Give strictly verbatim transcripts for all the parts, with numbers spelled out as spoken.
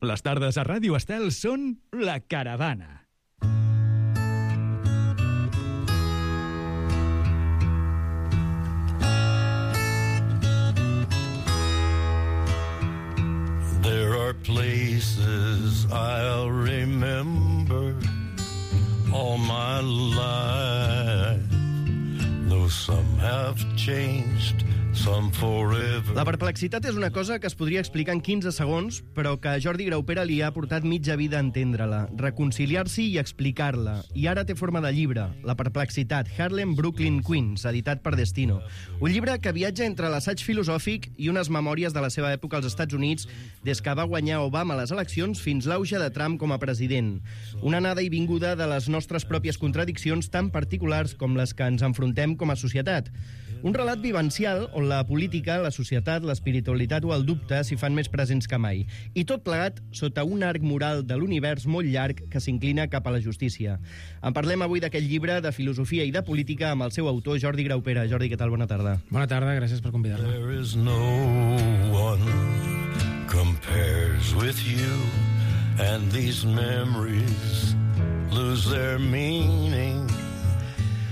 Les tardes a Ràdio Estel són La Caravana. There are places I'll remember all my life, though some have changed, some forever. La perplexitat és una cosa que es podria explicar en quinze segons, però que a Jordi Graupera li ha portat mitja vida a entendre-la, reconciliar-s'hi i explicar-la. I ara té forma de llibre, La perplexitat, Harlem, Brooklyn, Queens, editat per Destino. Un llibre que viatja entre l'assaig filosòfic i unes memòries de la seva època als Estats Units, des que va guanyar Obama a les eleccions fins l'auge de Trump com a president. Una anada i vinguda de les nostres pròpies contradiccions tan particulars com les que ens enfrontem com a societat. Un relat vivencial on la política, la societat, l'espiritualitat o el dubte s'hi fan més presents que mai. I tot plegat sota un arc moral de l'univers molt llarg que s'inclina cap a la justícia. En parlem avui d'aquest llibre de filosofia i de política amb el seu autor, Jordi Graupera. Jordi, què tal? Bona tarda. Bona tarda, gràcies per convidar-me. There is no one compares with you, and these memories lose their meaning.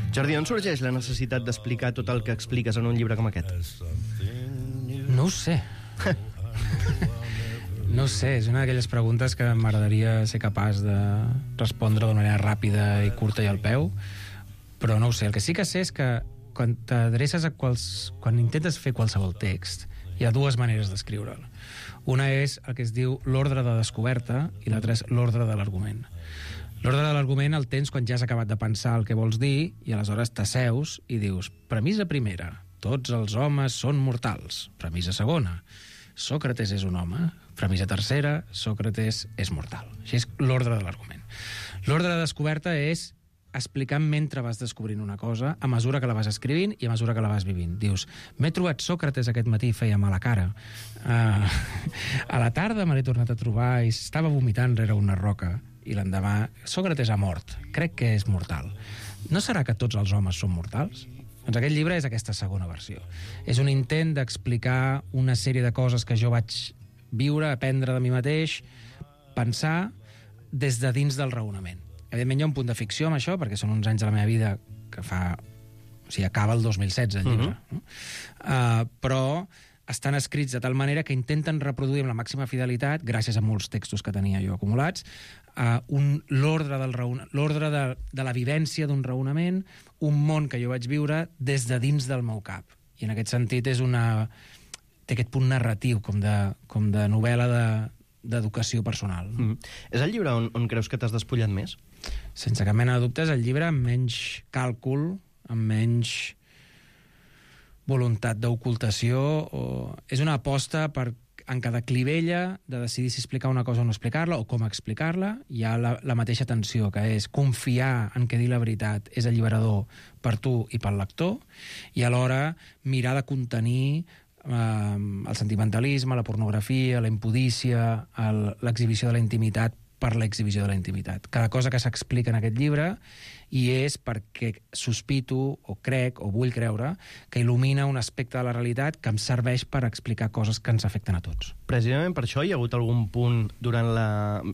Jordi, on sorgeix la necessitat d'explicar tot el que expliques en un llibre com aquest? No ho sé. No ho sé, és una d'aquelles preguntes que m'agradaria ser capaç de respondre d'una manera ràpida i curta i al peu, però no ho sé. El que sí que sé és que quan t'adreces a quals... quan intentes fer qualsevol text, hi ha dues maneres d'escriure'l. Una és el que es diu l'ordre de descoberta i l'altra és l'ordre de l'argument. L'ordre de l'argument el tens quan ja has acabat de pensar el que vols dir i aleshores t'asseus i dius: premissa primera, tots els homes són mortals. Premissa segona, Sòcrates és un home. Premissa tercera, Sòcrates és mortal. Així és l'ordre de l'argument. L'ordre de descoberta és explicar mentre vas descobrint una cosa, a mesura que la vas escrivint i a mesura que la vas vivint. Dius, m'he trobat Sòcrates aquest matí, feia mala cara. Uh, a la tarda me l'he tornat a trobar i estava vomitant rere una roca. I l'endemà, Sòcrates ha mort. Crec que és mortal. No serà que tots els homes són mortals? Doncs aquest llibre és aquesta segona versió. És un intent d'explicar una sèrie de coses que jo vaig viure, aprendre de mi mateix, pensar des de dins del raonament. Evidentment hi ha un punt de ficció amb això, perquè són uns anys de la meva vida que fa... O sigui, acaba el dos mil setze, el llibre. Uh-huh. uh, però estan escrits de tal manera que intenten reproduir amb la màxima fidelitat, gràcies a molts textos que tenia jo acumulats, uh, un, l'ordre, del raon... l'ordre de, de la vivència d'un raonament, un món que jo vaig viure des de dins del meu cap. I en aquest sentit és una... té aquest punt narratiu, com de, com de novel·la de, d'educació personal. Mm. És el llibre on, on creus que t'has despullat més? Sense cap mena de dubte, és el llibre amb menys càlcul, amb menys voluntat d'ocultació. O... És una aposta per, en cada clivella, de decidir si explicar una cosa o no explicar-la, o com explicar-la. Hi ha la, la mateixa tensió, que és confiar en que dir la veritat és alliberador per tu i pel lector, i alhora mirar de contenir el sentimentalisme, la pornografia, la impudícia, l'exhibició de la intimitat per l'exhibició de la intimitat. Cada cosa que s'explica en aquest llibre i és perquè sospito, o crec, o vull creure, que il·lumina un aspecte de la realitat que em serveix per explicar coses que ens afecten a tots. Precisament per això hi ha hagut algun punt durant la...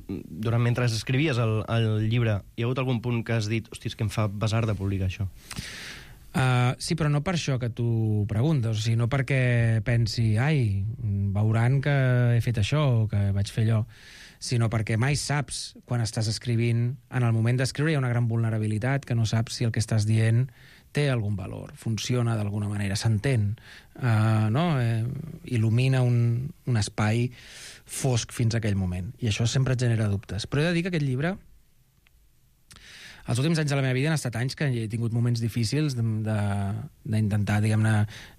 durant mentre escrivies el, el llibre, hi ha hagut algun punt que has dit, hosti, és que em fa besar de publicar això? Uh, sí, però no per això que tu preguntes, o sigui, no perquè pensi, ai, veuran que he fet això o que vaig fer allò, sinó perquè mai saps quan estàs escrivint. En el moment d'escriure hi ha una gran vulnerabilitat, que no saps si el que estàs dient té algun valor, funciona d'alguna manera, s'entén, uh, no? Eh, il·lumina un, un espai fosc fins a aquell moment, i això sempre et genera dubtes. Però he de dir que aquest llibre, els últims anys de la meva vida han estat anys que he tingut moments difícils d'intentar, diguem-ne,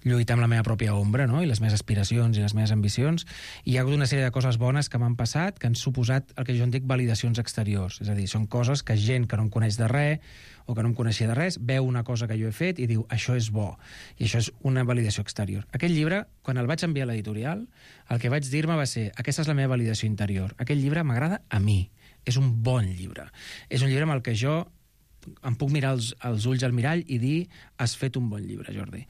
lluitar amb la meva pròpia ombra, no? I les meves aspiracions i les meves ambicions, i hi ha hagut una sèrie de coses bones que m'han passat, que han suposat el que jo en dic validacions exteriors. És a dir, són coses que gent que no em coneix de res o que no em coneixia de res veu una cosa que jo he fet i diu, això és bo, i això és una validació exterior. Aquest llibre, quan el vaig enviar a l'editorial, el que vaig dir-me va ser, aquesta és la meva validació interior, aquest llibre m'agrada a mi, és un bon llibre, és un llibre amb el que jo em puc mirar els, els ulls al mirall i dir, has fet un bon llibre, Jordi.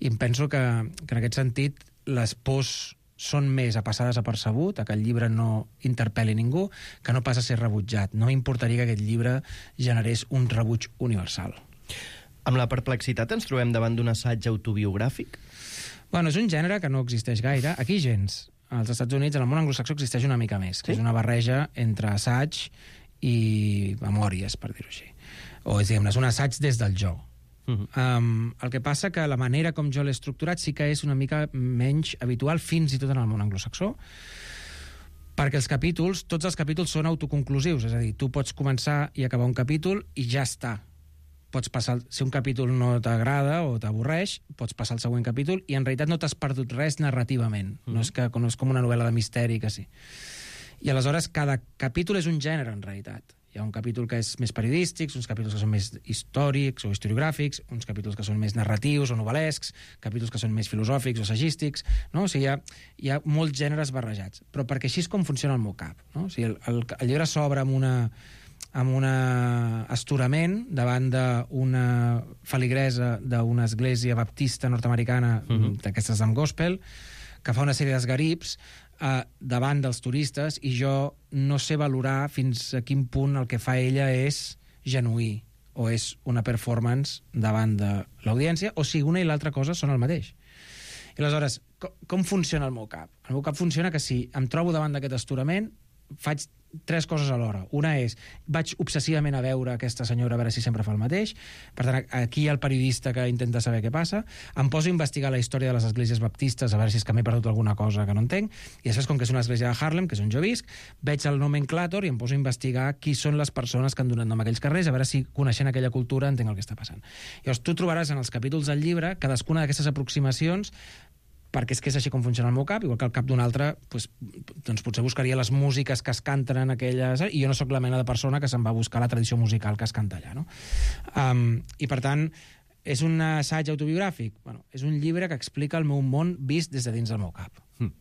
I em penso que, que en aquest sentit les pors són més a passar desapercebut, a que el llibre no interpel·li ningú, que no pas a ser rebutjat. No m'importaria que aquest llibre generés un rebuig universal. Amb la perplexitat ens trobem davant d'un assaig autobiogràfic? Bueno, és un gènere que no existeix gaire. Aquí gens. Als Estats Units, en el món anglosaxó, existeix una mica més, que Sí? és una barreja entre assaig i memòries, per dir-ho així. O és, diguem-ne, és un assaig des del jo. Uh-huh. Um, el que passa que la manera com jo l'he estructurat sí que és una mica menys habitual fins i tot en el món anglosaxó, perquè els capítols, tots els capítols són autoconclusius, és a dir, tu pots començar i acabar un capítol i ja està. Pots passar, si un capítol no t'agrada o t'avorreix, pots passar al següent capítol i en realitat no t'has perdut res narrativament. Mm-hmm. No és que no és com una novel·la de misteri, que sí. I aleshores cada capítol és un gènere, en realitat. Hi ha un capítol que és més periodístic, uns capítols que són més històrics o historiogràfics, uns capítols que són més narratius o novel·lescs, capítols que són més filosòfics o assagístics, no? O sigui, hi ha, hi ha molts gèneres barrejats. Però perquè així és com funciona el meu cap, no? O sigui, el, el, el llibre s'obre amb una amb un astorament davant d'una feligresa d'una església baptista nord-americana, uh-huh. d'aquestes amb gospel, que fa una sèrie d'esgarips eh, davant dels turistes, i jo no sé valorar fins a quin punt el que fa ella és genuí o és una performance davant de l'audiència, o si una i l'altra cosa són el mateix. I aleshores, com, com funciona el meu cap? El meu cap funciona que si em trobo davant d'aquest astorament, faig tres coses alhora. Una és, vaig obsessivament a veure aquesta senyora a veure si sempre fa el mateix. Per tant, aquí hi ha el periodista que intenta saber què passa. Em poso a investigar la història de les esglésies baptistes a veure si és que m'he perdut alguna cosa que no entenc. I després, com que és una església de Harlem, que és on jo visc, veig el nomenclàtor i em poso a investigar qui són les persones que han donat nom a aquells carrers, a veure si, coneixent aquella cultura, entenc el que està passant. Llavors, tu trobaràs en els capítols del llibre cadascuna d'aquestes aproximacions, perquè és que és així com funciona el meu cap, igual que el cap d'un altre, doncs, doncs potser buscaria les músiques que es canten en aquelles... I jo no sóc la mena de persona que se'n va buscar la tradició musical que es canta allà, no? Um, I, per tant, és un assaig autobiogràfic? Bueno, és un llibre que explica el meu món vist des de dins del meu cap. Mm.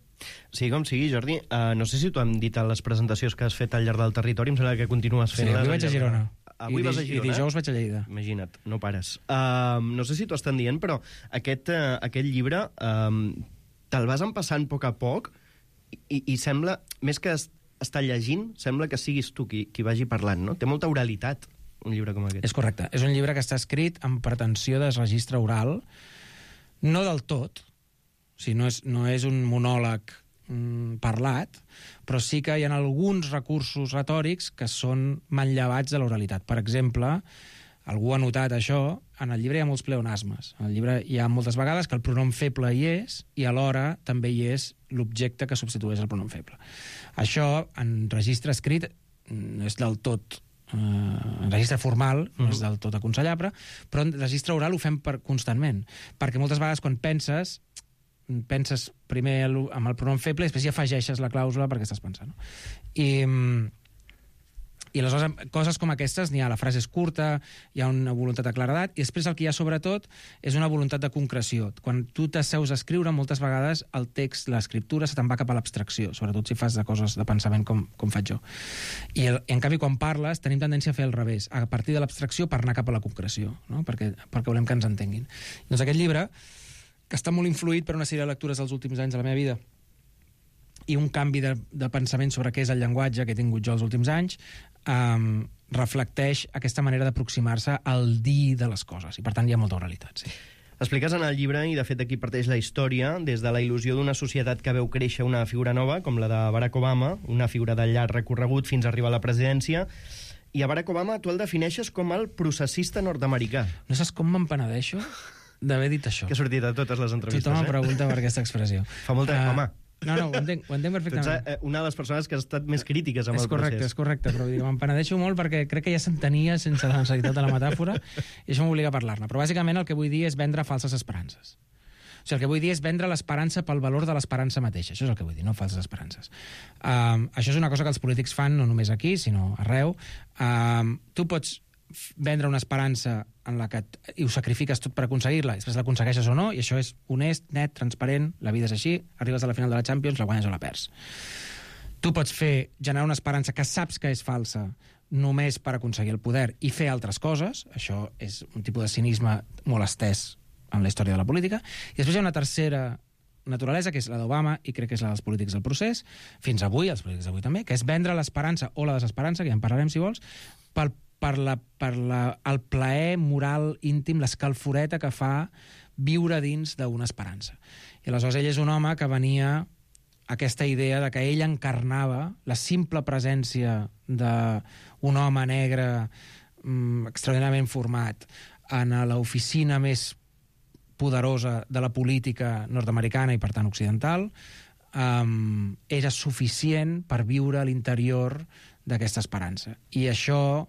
Sigui com sigui, Jordi, uh, no sé si t'ho hem dit a les presentacions que has fet al llarg del territori, em sembla que continues Sí, fent-les... avui vaig a Girona. Avui I, vas a Girona? I dijous vaig a Lleida. Imagina't, no pares. Uh, no sé si t'ho estan dient, però aquest, uh, aquest llibre... Um, te'l vas empassant a poc a poc i, i sembla, més que es, estar llegint, sembla que siguis tu qui, qui vagi parlant, no? Té molta oralitat, un llibre com aquest. És correcte. És un llibre que està escrit amb pretensió de registre oral, no del tot, o sigui, no és, no és un monòleg mm, parlat, però sí que hi ha alguns recursos retòrics que són manllevats de l'oralitat. Per exemple, algú ha notat això, en el llibre hi ha molts pleonasmes. En el llibre hi ha moltes vegades que el pronom feble hi és i alhora també hi és l'objecte que substitueix el pronom feble. Això, en registre escrit, no és del tot... Eh, en registre formal no és del tot aconsellable, però en registre oral ho fem per, constantment. Perquè moltes vegades quan penses, penses primer amb el pronom feble i després hi afegeixes la clàusula perquè estàs pensant. No? I... I aleshores, coses com aquestes, n'hi ha, la frase és curta, hi ha una voluntat de claredat, i després el que hi ha sobretot és una voluntat de concreció. Quan tu t'asseus a escriure, moltes vegades el text, l'escriptura, se te'n va cap a l'abstracció, sobretot si fas de coses de pensament com, com faig jo. I, el, I en canvi, quan parles, tenim tendència a fer al revés, a partir de l'abstracció per anar cap a la concreció, no? perquè, perquè volem que ens entenguin. Doncs aquest llibre, que està molt influït per una sèrie de lectures dels últims anys de la meva vida, i un canvi de, de pensament sobre què és el llenguatge que he tingut jo els últims anys, um, reflecteix aquesta manera d'aproximar-se al dir de les coses. I, per tant, hi ha molta oralitat, sí. Expliques en el llibre, i de fet aquí parteix la història, des de la il·lusió d'una societat que veu créixer una figura nova, com la de Barack Obama, una figura de llarg recorregut fins a arribar a la presidència, i a Barack Obama tu el defineixes com el processista nord-americà. No saps com me'n penedeixo d'haver dit això? Que ha sortit a totes les entrevistes, Tothom eh? em pregunta per aquesta expressió. Fa molta... Uh, home... No, no, ho entenc, ho entenc perfectament. Tu ets una de les persones que ha estat més crítiques amb és el correcte, procés. És correcte, però me'n penedeixo molt perquè crec que ja s'entenia sense la necessitat de la metàfora i això m'obliga a parlar-ne. Però bàsicament el que vull dir és vendre falses esperances. O sigui, el que vull dir és vendre l'esperança pel valor de l'esperança mateixa. Això és el que vull dir, no falses esperances. Um, això és una cosa que els polítics fan no només aquí, sinó arreu. Um, tu pots vendre una esperança en la que i ho sacrifiques tot per aconseguir-la, i després l'aconsegueixes o no, i això és honest, net, transparent, la vida és així, arribes a la final de la Champions, la guanyes o la perds. Tu pots fer, generar una esperança que saps que és falsa només per aconseguir el poder i fer altres coses, això és un tipus de cinisme molt estès en la història de la política, i després hi ha una tercera naturalesa, que és la d'Obama, i crec que és la dels polítics del procés, fins avui, els polítics d'avui també, que és vendre l'esperança o la desesperança, que ja en parlarem si vols, per, per, la, per la, el plaer moral íntim, l'escalforeta que fa viure dins d'una esperança. I aleshores ell és un home que venia aquesta idea de que ell encarnava la simple presència d'un home negre mm, extraordinàriament format en l'oficina més poderosa de la política nord-americana i, per tant, occidental, um, era suficient per viure a l'interior d'aquesta esperança. I això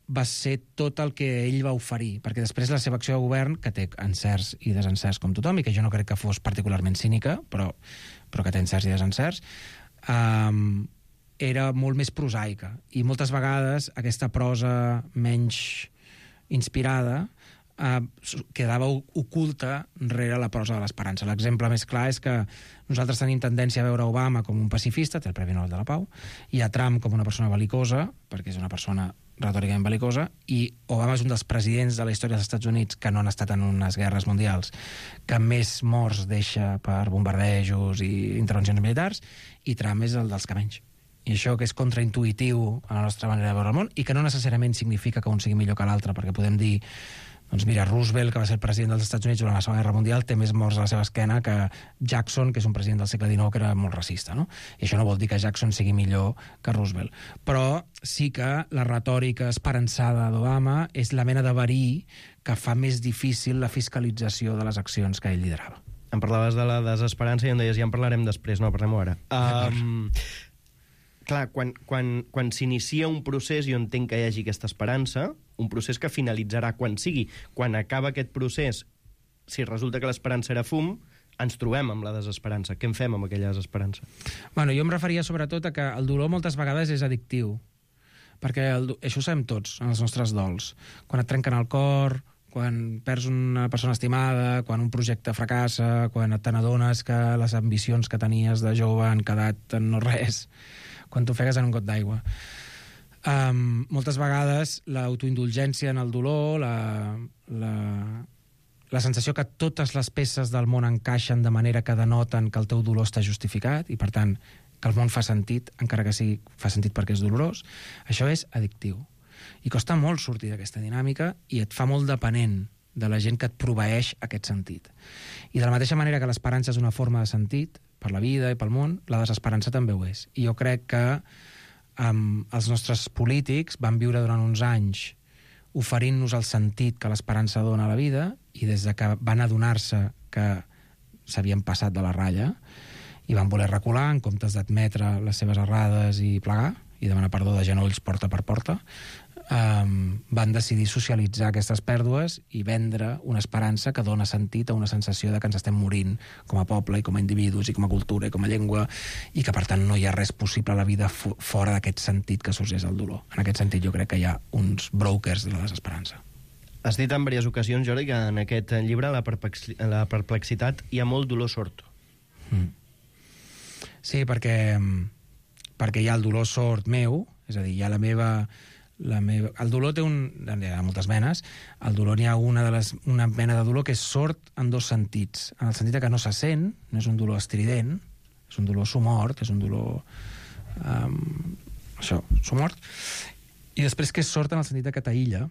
va ser tot el que ell va oferir, perquè després la seva acció de govern, que té encerts i desencerts com tothom, i que jo no crec que fos particularment cínica, però, però que té encerts i desencerts, um, era molt més prosaica. I moltes vegades aquesta prosa menys inspirada Uh, quedava oculta rere la prosa de l'esperança. L'exemple més clar és que nosaltres tenim tendència a veure Obama com un pacifista, té el Premi Nobel de la Pau, i a Trump com una persona bel·licosa, perquè és una persona retòricament bel·licosa, i Obama és un dels presidents de la història dels Estats Units que no han estat en unes guerres mundials, que més morts deixa per bombardejos i intervencions militars, i Trump és el dels que menys. I això que és contraintuitiu a la nostra manera de veure el món, i que no necessàriament significa que un sigui millor que l'altre, perquè podem dir doncs mira, Roosevelt, que va ser el president dels Estats Units durant la Segona Guerra Mundial, té més morts a la seva esquena que Jackson, que és un president del segle dinou que era molt racista, no? I això no vol dir que Jackson sigui millor que Roosevelt. Però sí que la retòrica esperançada d'Obama és la mena de verí que fa més difícil la fiscalització de les accions que ell liderava. Em parlaves de la desesperança i em deies ja en parlarem després, no, parlem-ho ara. Um, clar, quan, quan, quan s'inicia un procés, jo entenc que hi hagi aquesta esperança, un procés que finalitzarà quan sigui. Quan acaba aquest procés, si resulta que l'esperança era fum, ens trobem amb la desesperança. Què en fem amb aquella desesperança? Bueno, jo em referia sobretot a que el dolor moltes vegades és addictiu, perquè el, això ho sabem tots, en els nostres dols. Quan et trenquen el cor, quan perds una persona estimada, quan un projecte fracassa, quan te n'adones que les ambicions que tenies de jove han quedat en no res, quan t'ofegues en un got d'aigua. Um, moltes vegades l'autoindulgència en el dolor, la, la, la sensació que totes les peces del món encaixen de manera que denoten que el teu dolor està justificat i, per tant, que el món fa sentit, encara que sigui fa sentit perquè és dolorós, això és addictiu. I costa molt sortir d'aquesta dinàmica i et fa molt dependent de la gent que et proveeix aquest sentit. I de la mateixa manera que l'esperança és una forma de sentit per la vida i pel món, la desesperança també ho és. I jo crec que Um, els nostres polítics van viure durant uns anys oferint-nos el sentit que l'esperança dona a la vida i des de que van adonar-se que s'havien passat de la ratlla i van voler recular en comptes d'admetre les seves errades i plegar i demanar perdó de genolls porta per porta, um, van decidir socialitzar aquestes pèrdues i vendre una esperança que dona sentit a una sensació de que ens estem morint com a poble i com a individus i com a cultura i com a llengua i que, per tant, no hi ha res possible a la vida fora d'aquest sentit que sorgeix el dolor. En aquest sentit, jo crec que hi ha uns brokers de la desesperança. Has dit en diverses ocasions, Jordi, que en aquest llibre, la, perplexi la perplexitat, hi ha molt dolor sord. Mm. Sí, perquè, perquè hi ha el dolor sord meu, és a dir, hi ha la meva... La meva... El dolor té un... Hi ha moltes menes. El dolor n'hi ha una, de les... una mena de dolor que és sord en dos sentits. En el sentit que no se sent, no és un dolor estrident, és un dolor somort, és un dolor... Um... Això, somort. I després que és sord en el sentit que t'aïlla,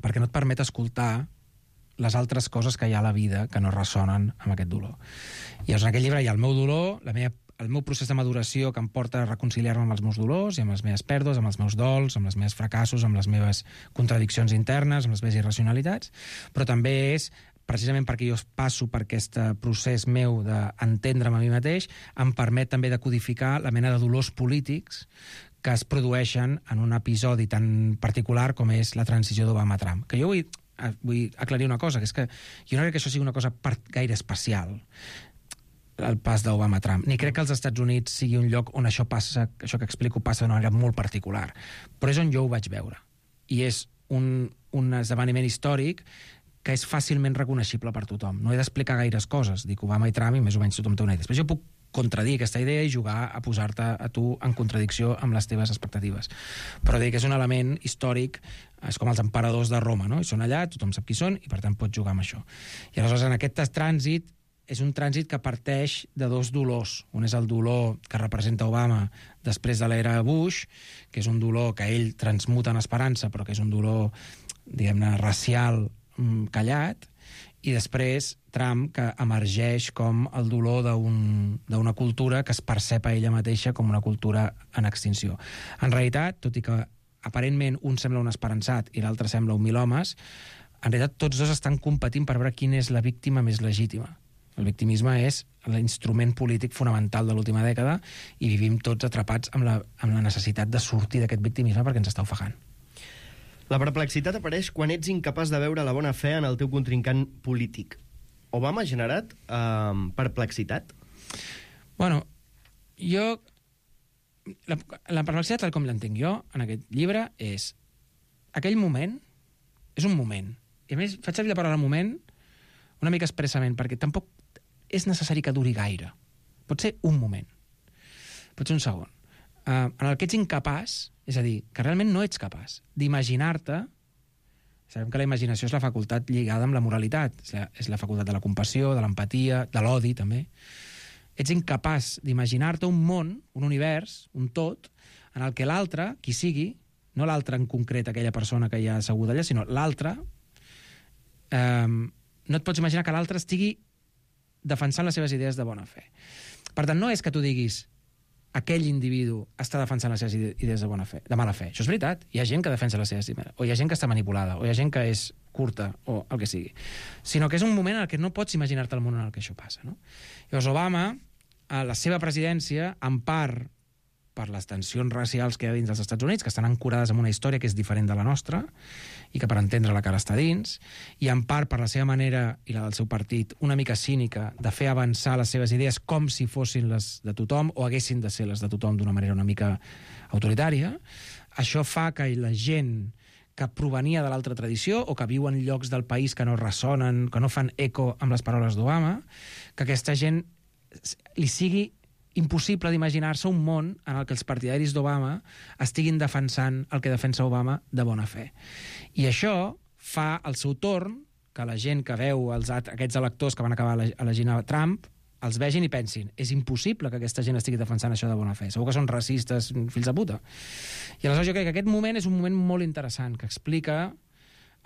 perquè no et permet escoltar les altres coses que hi ha a la vida que no ressonen amb aquest dolor. I llavors en aquest llibre hi ha el meu dolor, la meva el meu procés de maduració que em porta a reconciliar-me amb els meus dolors i amb les meves pèrdues, amb els meus dols, amb els meus fracassos, amb les meves contradiccions internes, amb les meves irracionalitats, però també és, precisament perquè jo passo per aquest procés meu d'entendre'm a mi mateix, em permet també de codificar la mena de dolors polítics que es produeixen en un episodi tan particular com és la transició d'Obama-Trump. Que jo vull, vull aclarir una cosa, que és que jo no crec que això sigui una cosa gaire especial, el pas d'Obama-Trump. Ni crec que els Estats Units sigui un lloc on això passa, això que explico passa d'una manera molt particular. Però és on jo ho vaig veure. I és un, un esdeveniment històric que és fàcilment reconeixible per tothom. No he d'explicar gaires coses. Dic Obama i Trump i més o menys tothom té una idea. Després jo puc contradir aquesta idea i jugar a posar-te a tu en contradicció amb les teves expectatives. Però dic que és un element històric, és com els emperadors de Roma, no? I són allà, tothom sap qui són i per tant pots jugar amb això. I aleshores en aquest trànsit és un trànsit que parteix de dos dolors. Un és el dolor que representa Obama després de l'era Bush, que és un dolor que ell transmuta en esperança, però que és un dolor, diguem-ne, racial callat, i després Trump, que emergeix com el dolor d'una un, cultura que es percep a ella mateixa com una cultura en extinció. En realitat, tot i que aparentment un sembla un esperançat i l'altre sembla un mil homes, en realitat tots dos estan competint per veure quina és la víctima més legítima. El victimisme és l'instrument polític fonamental de l'última dècada i vivim tots atrapats amb la, amb la necessitat de sortir d'aquest victimisme perquè ens està ofegant. La perplexitat apareix quan ets incapaç de veure la bona fe en el teu contrincant polític. Obama ha generat eh, perplexitat? Bueno, jo... La, la perplexitat, tal com l'entenc jo, en aquest llibre, és... Aquell moment és un moment. I a més, faig servir la paraula moment una mica expressament, perquè tampoc és necessari que duri gaire. Pot ser un moment. Pot ser un segon. Uh, en el que ets incapaç, és a dir, que realment no ets capaç d'imaginar-te. Sabem que la imaginació és la facultat lligada amb la moralitat, és la, és la facultat de la compassió, de l'empatia, de l'odi, també. Ets incapaç d'imaginar-te un món, un univers, un tot, en el que l'altre, qui sigui, no l'altre en concret, aquella persona que hi ha asseguda allà, sinó l'altre, eh, no et pots imaginar que l'altre estigui defensant les seves idees de bona fe. Per tant, no és que tu diguis aquell individu està defensant les seves idees de bona fe, de mala fe. Això és veritat. Hi ha gent que defensa les seves idees, o hi ha gent que està manipulada, o hi ha gent que és curta, o el que sigui. Sinó que és un moment en què no pots imaginar-te el món en el que això passa, no? Llavors, Obama, a la seva presidència, en part per les tensions racials que hi ha dins dels Estats Units, que estan ancorades en una història que és diferent de la nostra, i que per entendre la cara està dins, i en part per la seva manera, i la del seu partit, una mica cínica, de fer avançar les seves idees com si fossin les de tothom, o haguessin de ser les de tothom d'una manera una mica autoritària, això fa que la gent que provenia de l'altra tradició, o que viu en llocs del país que no ressonen, que no fan eco amb les paraules d'Obama, que aquesta gent li sigui impossible d'imaginar-se un món en el que els partidaris d'Obama estiguin defensant el que defensa Obama de bona fe. I això fa al seu torn que la gent que veu els, aquests electors que van acabar elegint a Trump els vegin i pensin, és impossible que aquesta gent estigui defensant això de bona fe. Segur que són racistes, fills de puta. I aleshores jo crec que aquest moment és un moment molt interessant, que explica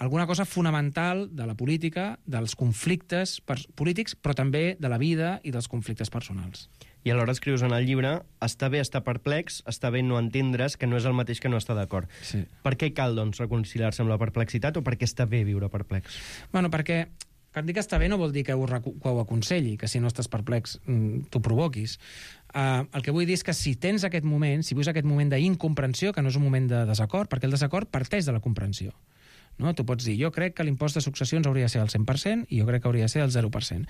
alguna cosa fonamental de la política, dels conflictes polítics, però també de la vida i dels conflictes personals. I alhora escrius en el llibre, està bé estar perplex, està bé no entendre's, que no és el mateix que no estar d'acord. Sí. Per què cal, doncs, reconciliar-se amb la perplexitat, o per què està bé viure perplex? Bueno, perquè quan dic que està bé no vol dir que ho, que ho aconselli, que si no estàs perplex t'ho provoquis. Uh, el que vull dir és que si tens aquest moment, si vius aquest moment d'incomprensió, que no és un moment de desacord, perquè el desacord parteix de la comprensió. No? Tu pots dir, jo crec que l'impost de successions hauria de ser el cent per cent i jo crec que hauria de ser el zero per cent.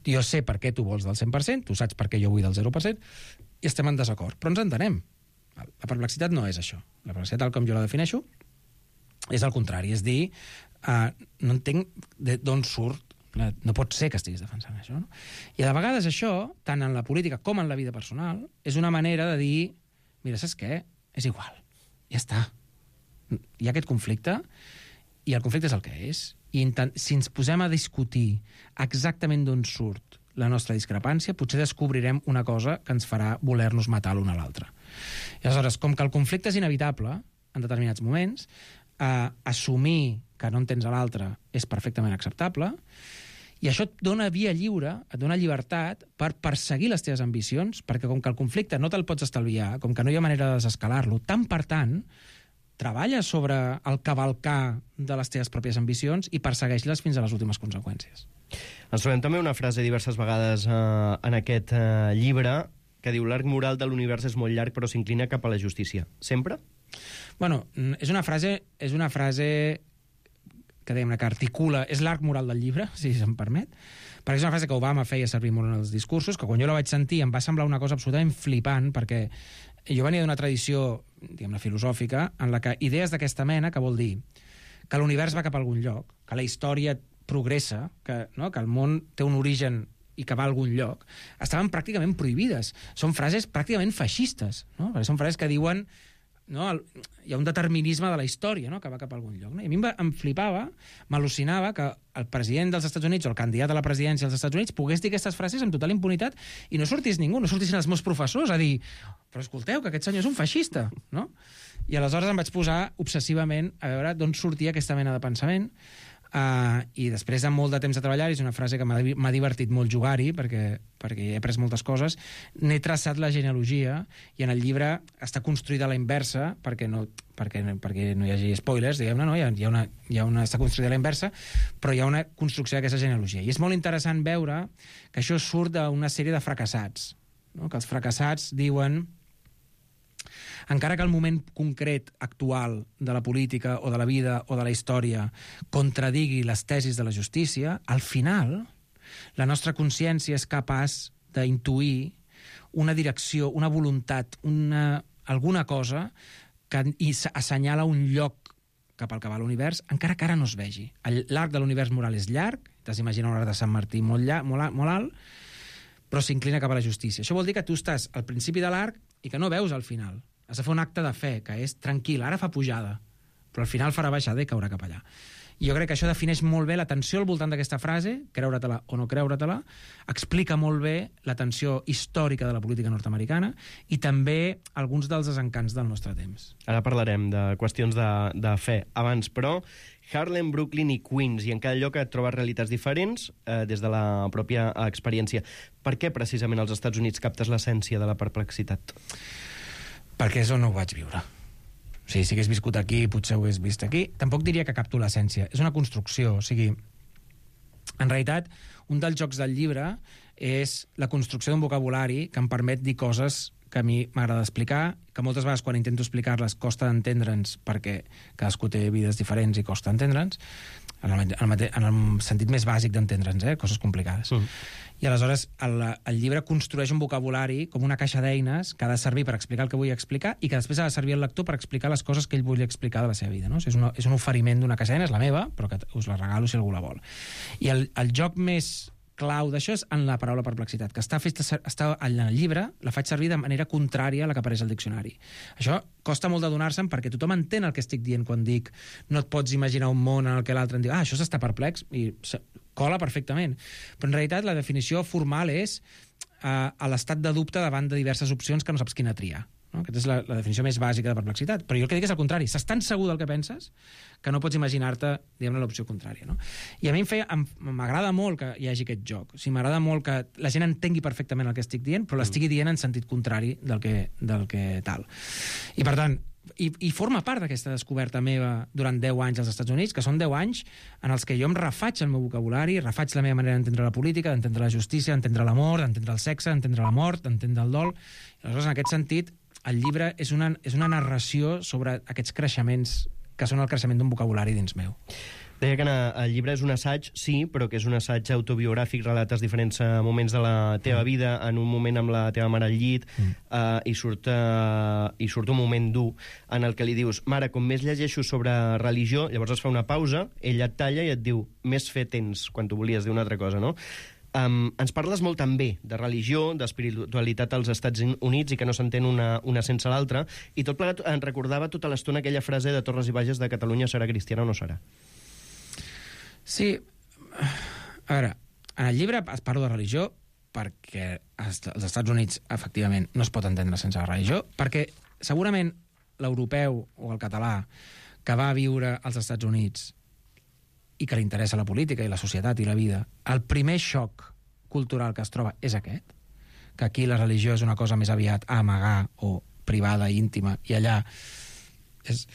Jo sé per què tu vols del cent per cent, tu saps per què jo vull del zero per cent, i estem en desacord. Però ens entenem. La perplexitat no és això. La perplexitat, tal com jo la defineixo, és el contrari. És dir, uh, no entenc d'on surt, no pot ser que estiguis defensant això. No? I de vegades això, tant en la política com en la vida personal, és una manera de dir, mira, saps què? És igual. Ja està. Hi ha aquest conflicte, i el conflicte és el que és. I si ens posem a discutir exactament d'on surt la nostra discrepància, potser descobrirem una cosa que ens farà voler-nos matar l'un a l'altre. I aleshores, com que el conflicte és inevitable en determinats moments, eh, assumir que no entens a l'altre és perfectament acceptable, i això et dona via lliure, et dona llibertat per perseguir les teves ambicions, perquè com que el conflicte no te'l pots estalviar, com que no hi ha manera de desescalar-lo, tant per tant, treballa sobre el cavalcar de les teves pròpies ambicions i persegueix-les fins a les últimes conseqüències. Ens trobem també una frase diverses vegades eh, en aquest eh, llibre que diu l'arc moral de l'univers és molt llarg però s'inclina cap a la justícia. Sempre? Bueno, és una frase, és una frase que, diguem-ne, que articula... És l'arc moral del llibre, si se'm permet, perquè és una frase que Obama feia servir molt en els discursos, que quan jo la vaig sentir em va semblar una cosa absolutament flipant, perquè jo venia d'una tradició, diguem-ne, filosòfica, en la que idees d'aquesta mena, que vol dir que l'univers va cap a algun lloc, que la història progressa, que, no? que el món té un origen i que va a algun lloc, estaven pràcticament prohibides. Són frases pràcticament feixistes, no? Perquè són frases que diuen no? El, hi ha un determinisme de la història, no? Que va cap a algun lloc. No? I a mi em, em flipava, m'al·lucinava que el president dels Estats Units o el candidat a la presidència dels Estats Units pogués dir aquestes frases amb total impunitat i no sortís ningú, no sortissin els meus professors a dir però escolteu, que aquest senyor és un feixista, no? I aleshores em vaig posar obsessivament a veure d'on sortia aquesta mena de pensament. Uh, i després de molt de temps de treballar, és una frase que m'ha divertit molt jugar-hi perquè, perquè he après moltes coses, n'he traçat la genealogia i en el llibre està construïda a la inversa perquè no, perquè, perquè no hi hagi spoilers, diguem-ne, no? Hi ha, hi ha una, hi ha una, està construïda a la inversa, però hi ha una construcció d'aquesta genealogia. I és molt interessant veure que això surt d'una sèrie de fracassats, no? Que els fracassats diuen encara que el moment concret actual de la política o de la vida o de la història contradigui les tesis de la justícia, al final la nostra consciència és capaç d'intuir una direcció, una voluntat, una, alguna cosa que assenyala un lloc cap al que va l'univers, encara que ara no es vegi. L'arc de l'univers moral és llarg, t'has d'imaginar un arc de Sant Martí molt, llarg, molt, molt alt, però s'inclina cap a la justícia. Això vol dir que tu estàs al principi de l'arc i que no veus al final. Has de fer un acte de fe, que és tranquil, ara fa pujada, però al final farà baixada i caurà cap allà. I jo crec que això defineix molt bé la tensió al voltant d'aquesta frase, creure-te-la o no creure-te-la, explica molt bé la tensió històrica de la política nord-americana i també alguns dels desencants del nostre temps. Ara parlarem de qüestions de, de fe. Abans, però, Harlem, Brooklyn i Queens, i en cada lloc et trobes realitats diferents eh, des de la pròpia experiència. Per què precisament als Estats Units captes l'essència de la perplexitat? Perquè és on ho vaig viure. O sigui, si hagués viscut aquí, potser ho hagués vist aquí. Tampoc diria que capto l'essència. És una construcció. O sigui, en realitat, un dels jocs del llibre és la construcció d'un vocabulari que em permet dir coses que a mi m'agrada explicar, que moltes vegades quan intento explicar-les costa d'entendre'ns perquè cadascú té vides diferents i costa entendre'ns, en el, en el, en el sentit més bàsic d'entendre'ns, eh? Coses complicades. Mm. I aleshores el, el llibre construeix un vocabulari com una caixa d'eines que ha de servir per explicar el que vull explicar i que després ha de servir al lector per explicar les coses que ell vull explicar de la seva vida. No? O sigui, és, una, és un oferiment d'una caixa d'eines, la meva, però que us la regalo si algú la vol. I el, el joc més clau d'això és en la paraula perplexitat, que està feta, està en el llibre, la faig servir de manera contrària a la que apareix al diccionari. Això costa molt d'adonar-se'n perquè tothom entén el que estic dient quan dic no et pots imaginar un món en el que l'altre em diu ah, això s'està perplex, i cola perfectament. Però en realitat la definició formal és uh, a l'estat de dubte davant de diverses opcions que no saps quina triar. No? Aquesta és la, la definició més bàsica de perplexitat. Però jo el que dic és el contrari. Estàs tan segur del que penses que no pots imaginar-te, diguem-ne, l'opció contrària. No? I a mi m'agrada molt que hi hagi aquest joc. O sigui, m'agrada molt que la gent entengui perfectament el que estic dient, però l'estigui dient en sentit contrari del que, del que tal. I, per tant, i, i forma part d'aquesta descoberta meva durant deu anys als Estats Units, que són deu anys en els que jo em refaig el meu vocabulari, refaig la meva manera d'entendre la política, d'entendre la justícia, d'entendre l'amor, d'entendre el sexe, d'entendre la mort, d'entendre el dol. I aleshores, en aquest sentit, el llibre és una, és una narració sobre aquests creixements que són el creixement d'un vocabulari dins meu. Deia que el llibre és un assaig, sí, però que és un assaig autobiogràfic, relates diferents moments de la teva vida, en un moment amb la teva mare al llit, mm. uh, i, surt, uh, i surt un moment dur en el que li dius, mare, com més llegeixo sobre religió, llavors es fa una pausa, ella et talla i et diu, més fe tens, quan tu volies dir una altra cosa, no? Um, ens parles molt també de religió, d'espiritualitat als Estats Units i que no s'entén una, una sense l'altra, i tot plegat ens recordava tota l'estona aquella frase de Torres i Bages de Catalunya serà cristiana o no serà. Sí, a veure, en el llibre es parla de religió perquè als Estats Units efectivament no es pot entendre sense la religió, perquè segurament l'europeu o el català que va viure als Estats Units i que li interessa la política i la societat i la vida, el primer xoc cultural que es troba és aquest, que aquí la religió és una cosa més aviat a amagar o privada, íntima, i allà és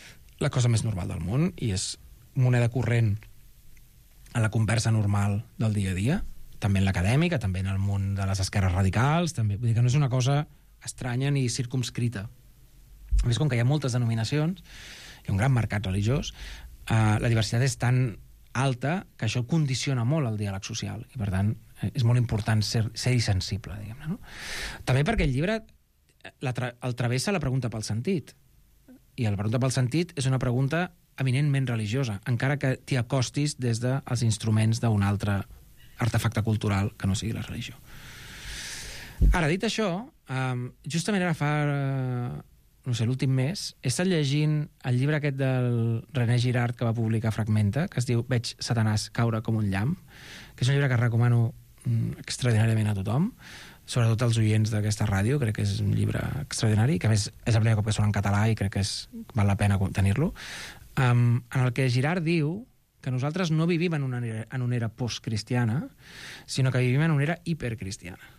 la cosa més normal del món i és moneda corrent a la conversa normal del dia a dia, també en l'acadèmica, també en el món de les esquerres radicals, també. Vull dir que no és una cosa estranya ni circumscrita. A més, com que hi ha moltes denominacions, hi ha un gran mercat religiós, eh, la diversitat és tan alta que això condiciona molt el diàleg social i, per tant, és molt important ser, ser-hi sensible, diguem-ne, no? També perquè el llibre la tra el travessa la pregunta pel sentit. I la pregunta pel sentit és una pregunta eminentment religiosa, encara que t'hi acostis des dels instruments d'un altre artefacte cultural que no sigui la religió. Ara, dit això, um, justament ara fa uh, no sé, l'últim mes, he estat llegint el llibre aquest del René Girard que va publicar Fragmenta, que es diu Veig Satanàs caure com un llamp, que és un llibre que recomano extraordinàriament a tothom, sobretot als oients d'aquesta ràdio. Crec que és un llibre extraordinari, que a més és el primer cop que sona en català i crec que és, val la pena tenir-lo, um, en el que Girard diu que nosaltres no vivim en una era, en una era postcristiana, sinó que vivim en una era hipercristiana.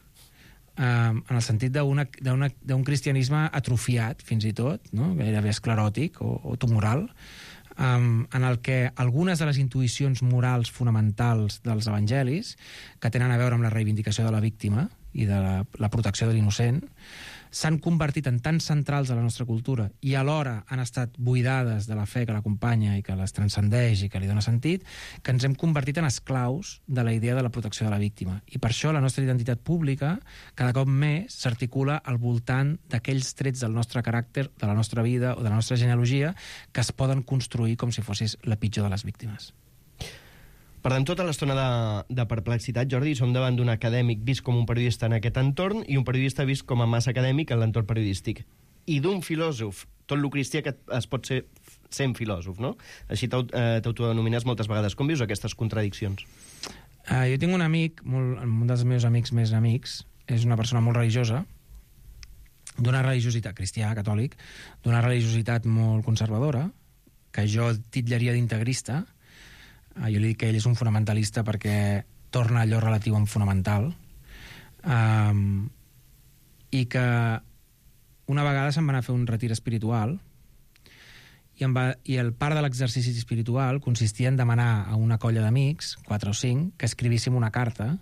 Um, en el sentit d'un cristianisme atrofiat, fins i tot, no? Gairebé escleròtic o, o tumoral, um, en el que algunes de les intuïcions morals fonamentals dels evangelis, que tenen a veure amb la reivindicació de la víctima i de la, la protecció de l'innocent, s'han convertit en tan centrals a la nostra cultura i alhora han estat buidades de la fe que l'acompanya i que les transcendeix i que li dona sentit, que ens hem convertit en esclaus de la idea de la protecció de la víctima. I per això la nostra identitat pública cada cop més s'articula al voltant d'aquells trets del nostre caràcter, de la nostra vida o de la nostra genealogia que es poden construir com si fossis la pitjor de les víctimes. Perdem tota l'estona de, de perplexitat, Jordi, som davant d'un acadèmic vist com un periodista en aquest entorn i un periodista vist com a massa acadèmic en l'entorn periodístic. I d'un filòsof, tot lo cristià que es pot ser sent filòsof, no? Així t'autodenomines moltes vegades. Com vius aquestes contradiccions? Uh, jo tinc un amic, molt, un dels meus amics més amics, és una persona molt religiosa, d'una religiositat cristià, catòlic, d'una religiositat molt conservadora, que jo titllaria d'integrista. Jo li dic que ell és un fonamentalista perquè torna allò relatiu en fonamental, um, i que una vegada se'n va anar a fer un retir espiritual i, em va, i el part de l'exercici espiritual consistia en demanar a una colla d'amics, quatre o cinc, que escrivíssim una carta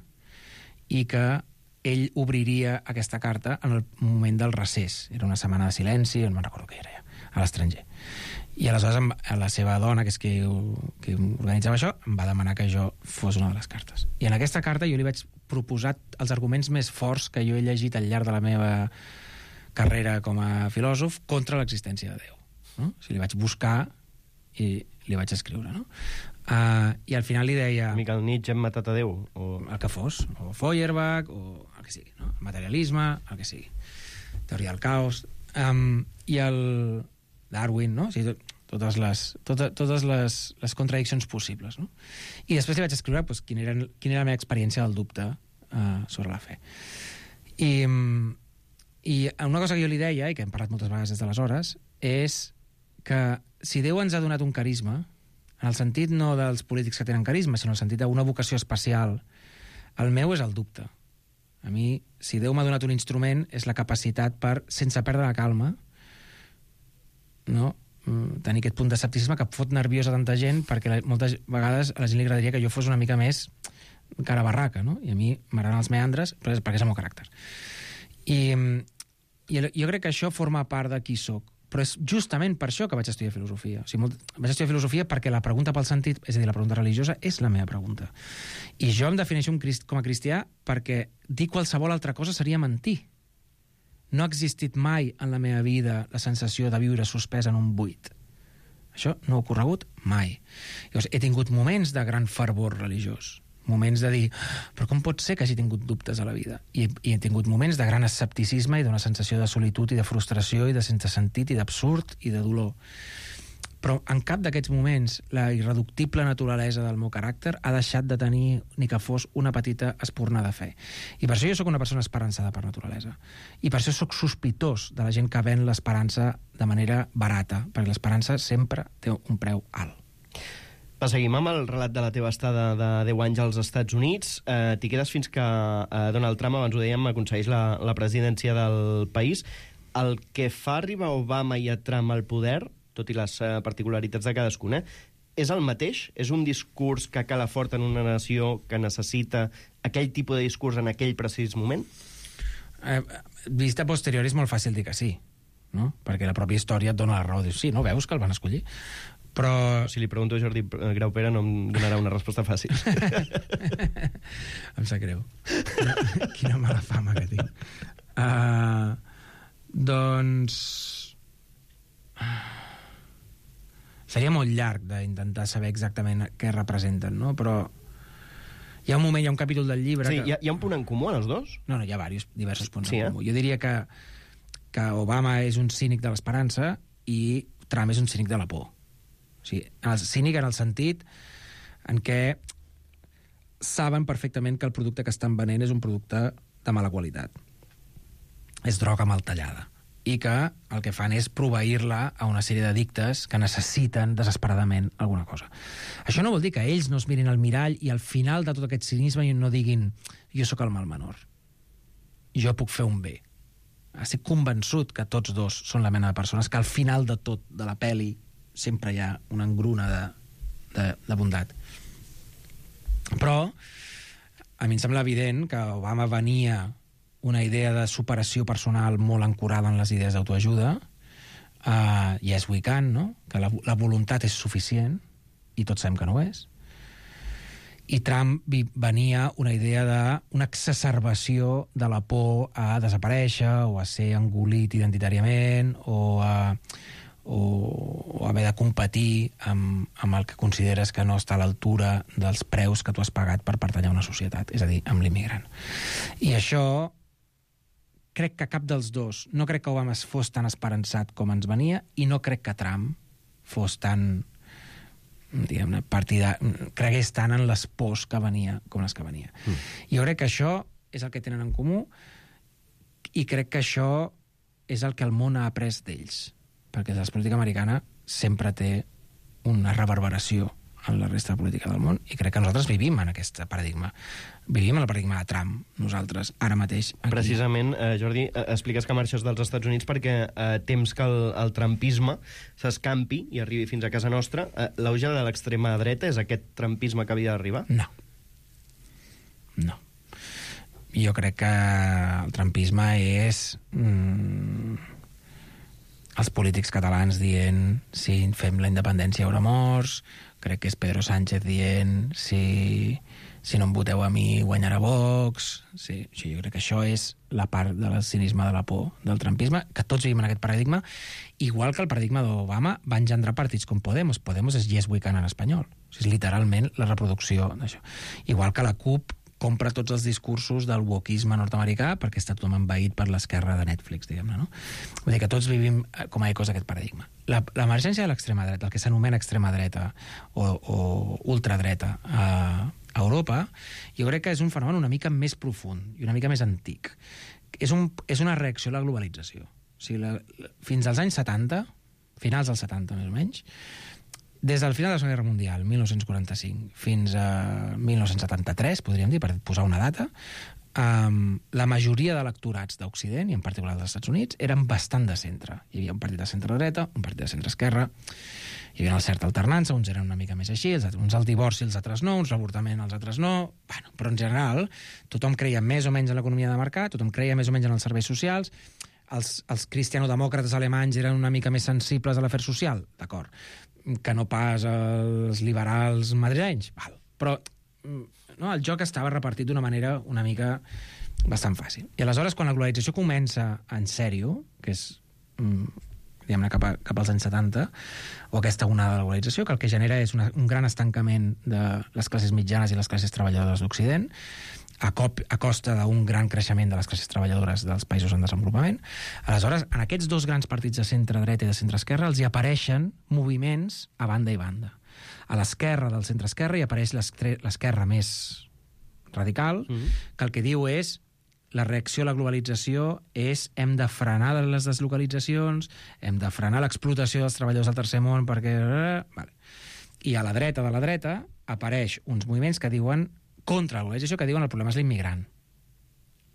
i que ell obriria aquesta carta en el moment del recés. Era una setmana de silenci, no me'n recordo què era ja, a l'estranger. I aleshores la seva dona, que és qui, qui organitzava això, em va demanar que jo fos una de les cartes. I en aquesta carta jo li vaig proposar els arguments més forts que jo he llegit al llarg de la meva carrera com a filòsof contra l'existència de Déu. No? O sigui, li vaig buscar i li vaig escriure. No? Uh, I al final li deia... Mica el Nietzsche hem matat a Déu. O... El que fos. O Feuerbach, o el que sigui. No? El materialisme, el que sigui. Teoria del caos. Um, I el... Darwin, no? O sigui, tot, totes les, totes, totes les, les contradiccions possibles, no? I després li vaig escriure pues, quina, era, quina era la meva experiència del dubte uh, sobre la fe. I, I una cosa que jo li deia, i que hem parlat moltes vegades des d'aleshores, és que si Déu ens ha donat un carisma, en el sentit no dels polítics que tenen carisma, sinó en el sentit d'una vocació especial, el meu és el dubte. A mi, si Déu m'ha donat un instrument, és la capacitat per, sense perdre la calma, no? tenir aquest punt d'escepticisme que fot nerviosa tanta gent, perquè la, moltes vegades a la gent li agradaria que jo fos una mica més cara barraca, no? I a mi m'agraden els meandres, però és perquè és el meu caràcter. I, i jo crec que això forma part de qui soc, però és justament per això que vaig estudiar filosofia. O sigui, molt, vaig estudiar filosofia perquè la pregunta pel sentit, és a dir, la pregunta religiosa, és la meva pregunta. I jo em defineixo un crist, com a cristià perquè dir qualsevol altra cosa seria mentir. No ha existit mai en la meva vida la sensació de viure suspès en un buit. Això no ha ocorregut mai. Llavors, he tingut moments de gran fervor religiós, moments de dir, però com pot ser que hagi tingut dubtes a la vida? I, i he tingut moments de gran escepticisme i d'una sensació de solitud i de frustració i de sense sentit i d'absurd i de dolor. Però en cap d'aquests moments la irreductible naturalesa del meu caràcter ha deixat de tenir ni que fos una petita espurna de fe. I per això jo sóc una persona esperançada per naturalesa. I per això sóc sospitós de la gent que ven l'esperança de manera barata, perquè l'esperança sempre té un preu alt. Va, seguim amb el relat de la teva estada de deu anys als Estats Units. Eh, T'hi quedes fins que eh, Donald Trump, abans ho dèiem, aconsegueix la, la presidència del país. El que fa arribar Obama i a Trump al poder, tot i les uh, particularitats de cadascun, eh? és el mateix? És un discurs que cala fort en una nació que necessita aquell tipus de discurs en aquell precís moment? Eh, vista posterior és molt fàcil dir que sí, no? Perquè la pròpia història et dona la raó. Dius, sí, no veus que el van escollir? Però... Si li pregunto a Jordi Graupera no em donarà una resposta fàcil. Em sap greu. Quina, quina mala fama que tinc. Uh, doncs... Seria molt llarg d'intentar saber exactament què representen, no? Però hi ha un moment, hi ha un capítol del llibre... Sí, que... hi, ha, hi ha un punt en comú, els dos? No, no, hi ha diversos, diversos punts sí, en eh? comú. Jo diria que, que Obama és un cínic de l'esperança i Trump és un cínic de la por. O sigui, el cínic en el sentit en què saben perfectament que el producte que estan venent és un producte de mala qualitat. És droga mal tallada. I que el que fan és proveir-la a una sèrie d'addictes que necessiten desesperadament alguna cosa. Això no vol dir que ells no es mirin al mirall i al final de tot aquest cinisme no diguin jo sóc el mal menor, jo puc fer un bé. Estic convençut que tots dos són la mena de persones que al final de tot, de la peli, sempre hi ha una engruna de, de, de bondat. Però a mi em sembla evident que Obama venia una idea de superació personal molt ancorada en les idees d'autoajuda, uh, yes we can, no? Que la, la voluntat és suficient, i tots sabem que no ho és. I Trump venia una idea d'una exacerbació de la por a desaparèixer o a ser engolit identitàriament o a, o, o haver de competir amb, amb el que consideres que no està a l'altura dels preus que tu has pagat per pertànyer a una societat, és a dir, amb l'immigrant. I això crec que cap dels dos, no crec que Obama fos tan esperançat com ens venia i no crec que Trump fos tan, diguem-ne, partida, cregués tant en les pors que venia com les que venia. Mm. Jo crec que això és el que tenen en comú i crec que això és el que el món ha après d'ells, perquè la política americana sempre té una reverberació en la resta de política del món, i crec que nosaltres vivim en aquest paradigma. Vivim en el paradigma de Trump, nosaltres, ara mateix. Aquí. Precisament, eh, Jordi, eh, expliques que marxes dels Estats Units perquè eh, temps que el, el trumpisme s'escampi i arribi fins a casa nostra. Eh, l'auge de l'extrema dreta és aquest trumpisme que havia d'arribar? No. No. Jo crec que el trumpisme és mm, els polítics catalans dient si fem la independència hi haurà morts, crec que és Pedro Sánchez dient si, si no em voteu a mi guanyarà Vox. Sí, sí, jo crec que això és la part del cinisme, de la por, del trumpisme, que tots vivim en aquest paradigma, igual que el paradigma d'Obama va engendrar partits com Podemos. Podemos és Yes We Can en espanyol. O sigui, és literalment la reproducció d'això. Igual que la CUP compra tots els discursos del wokisme nord-americà perquè està tothom envaït per l'esquerra de Netflix, diguem-ne, no? Vull dir que tots vivim com a ecos d'aquest paradigma. L'emergència de l'extrema dreta, el que s'anomena extrema dreta o, o ultradreta a, a Europa, jo crec que és un fenomen una mica més profund i una mica més antic. És, un, és una reacció a la globalització. O sigui, la, la, fins als anys setanta, finals dels setanta més o menys, des del final de la Segona Guerra Mundial, mil nou-cents quaranta-cinc, fins a mil nou-cents setanta-tres, podríem dir, per posar una data, um, la majoria d'electorats d'Occident, i en particular dels Estats Units, eren bastant de centre. Hi havia un partit de centre-dreta, un partit de centre-esquerra, hi havia una certa alternança, uns eren una mica més així, els, uns al divorci, els altres no, uns l'avortament, els altres no. Bueno, però en general, tothom creia més o menys en l'economia de mercat, tothom creia més o menys en els serveis socials, els, els cristianodemòcrates alemanys eren una mica més sensibles a l'afer social, d'acord, que no pas els liberals madrilenys. Val. Però no, el joc estava repartit d'una manera una mica bastant fàcil. I aleshores, quan la globalització comença en sèrio, que és diguem-ne cap, a, cap als anys setanta, o aquesta onada de la globalització, que el que genera és una, un gran estancament de les classes mitjanes i les classes treballadores d'Occident, a, cop, a costa d'un gran creixement de les classes treballadores dels països en desenvolupament. Aleshores, en aquests dos grans partits de centre-dreta i de centre-esquerra els hi apareixen moviments a banda i banda. A l'esquerra del centre-esquerra hi apareix l'esquerra més radical, mm-hmm. que el que diu és la reacció a la globalització és hem de frenar les deslocalitzacions, hem de frenar l'explotació dels treballadors del tercer món perquè... Vale. I a la dreta de la dreta apareix uns moviments que diuen contra la globalització, que diuen el problema és l'immigrant.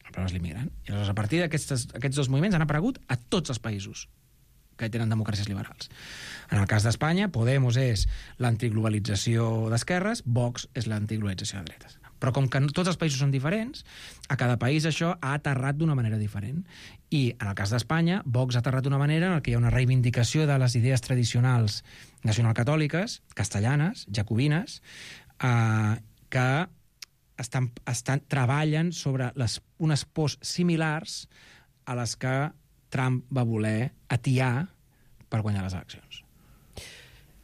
El problema és l'immigrant. I aleshores, a partir d'aquests dos moviments han aparegut a tots els països que tenen democràcies liberals. En el cas d'Espanya, Podemos és l'antiglobalització d'esquerres, Vox és l'antiglobalització de dretes. Però com que tots els països són diferents, a cada país això ha aterrat d'una manera diferent. I en el cas d'Espanya, Vox ha aterrat d'una manera en què hi ha una reivindicació de les idees tradicionals nacionalcatòliques, castellanes, jacobines, eh, que estan, estan, treballen sobre les, unes pors similars a les que Trump va voler atiar per guanyar les eleccions.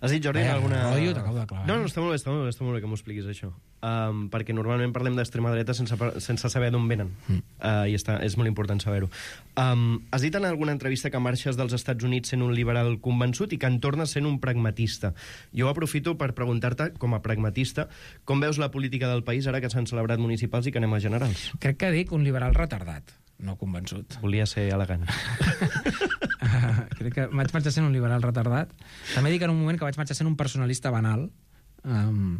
Has dit, Jordi, Vaja, alguna... rotllo, t'acabo de clavar. No, no, està molt bé, està molt bé, està molt bé que m'ho expliquis, això. Um, perquè normalment parlem d'extrema dreta sense, sense saber d'on venen. Mm. Uh, I està, és molt important saber-ho. Um, has dit en alguna entrevista que marxes dels Estats Units sent un liberal convençut i que en tornes sent un pragmatista. Jo aprofito per preguntar-te, com a pragmatista, com veus la política del país ara que s'han celebrat municipals i que anem a generals? Crec que dic un liberal retardat, no convençut. Volia ser elegant. Uh, crec que vaig marxar sent un liberal retardat. També dic en un moment que vaig marxar sent un personalista banal, um,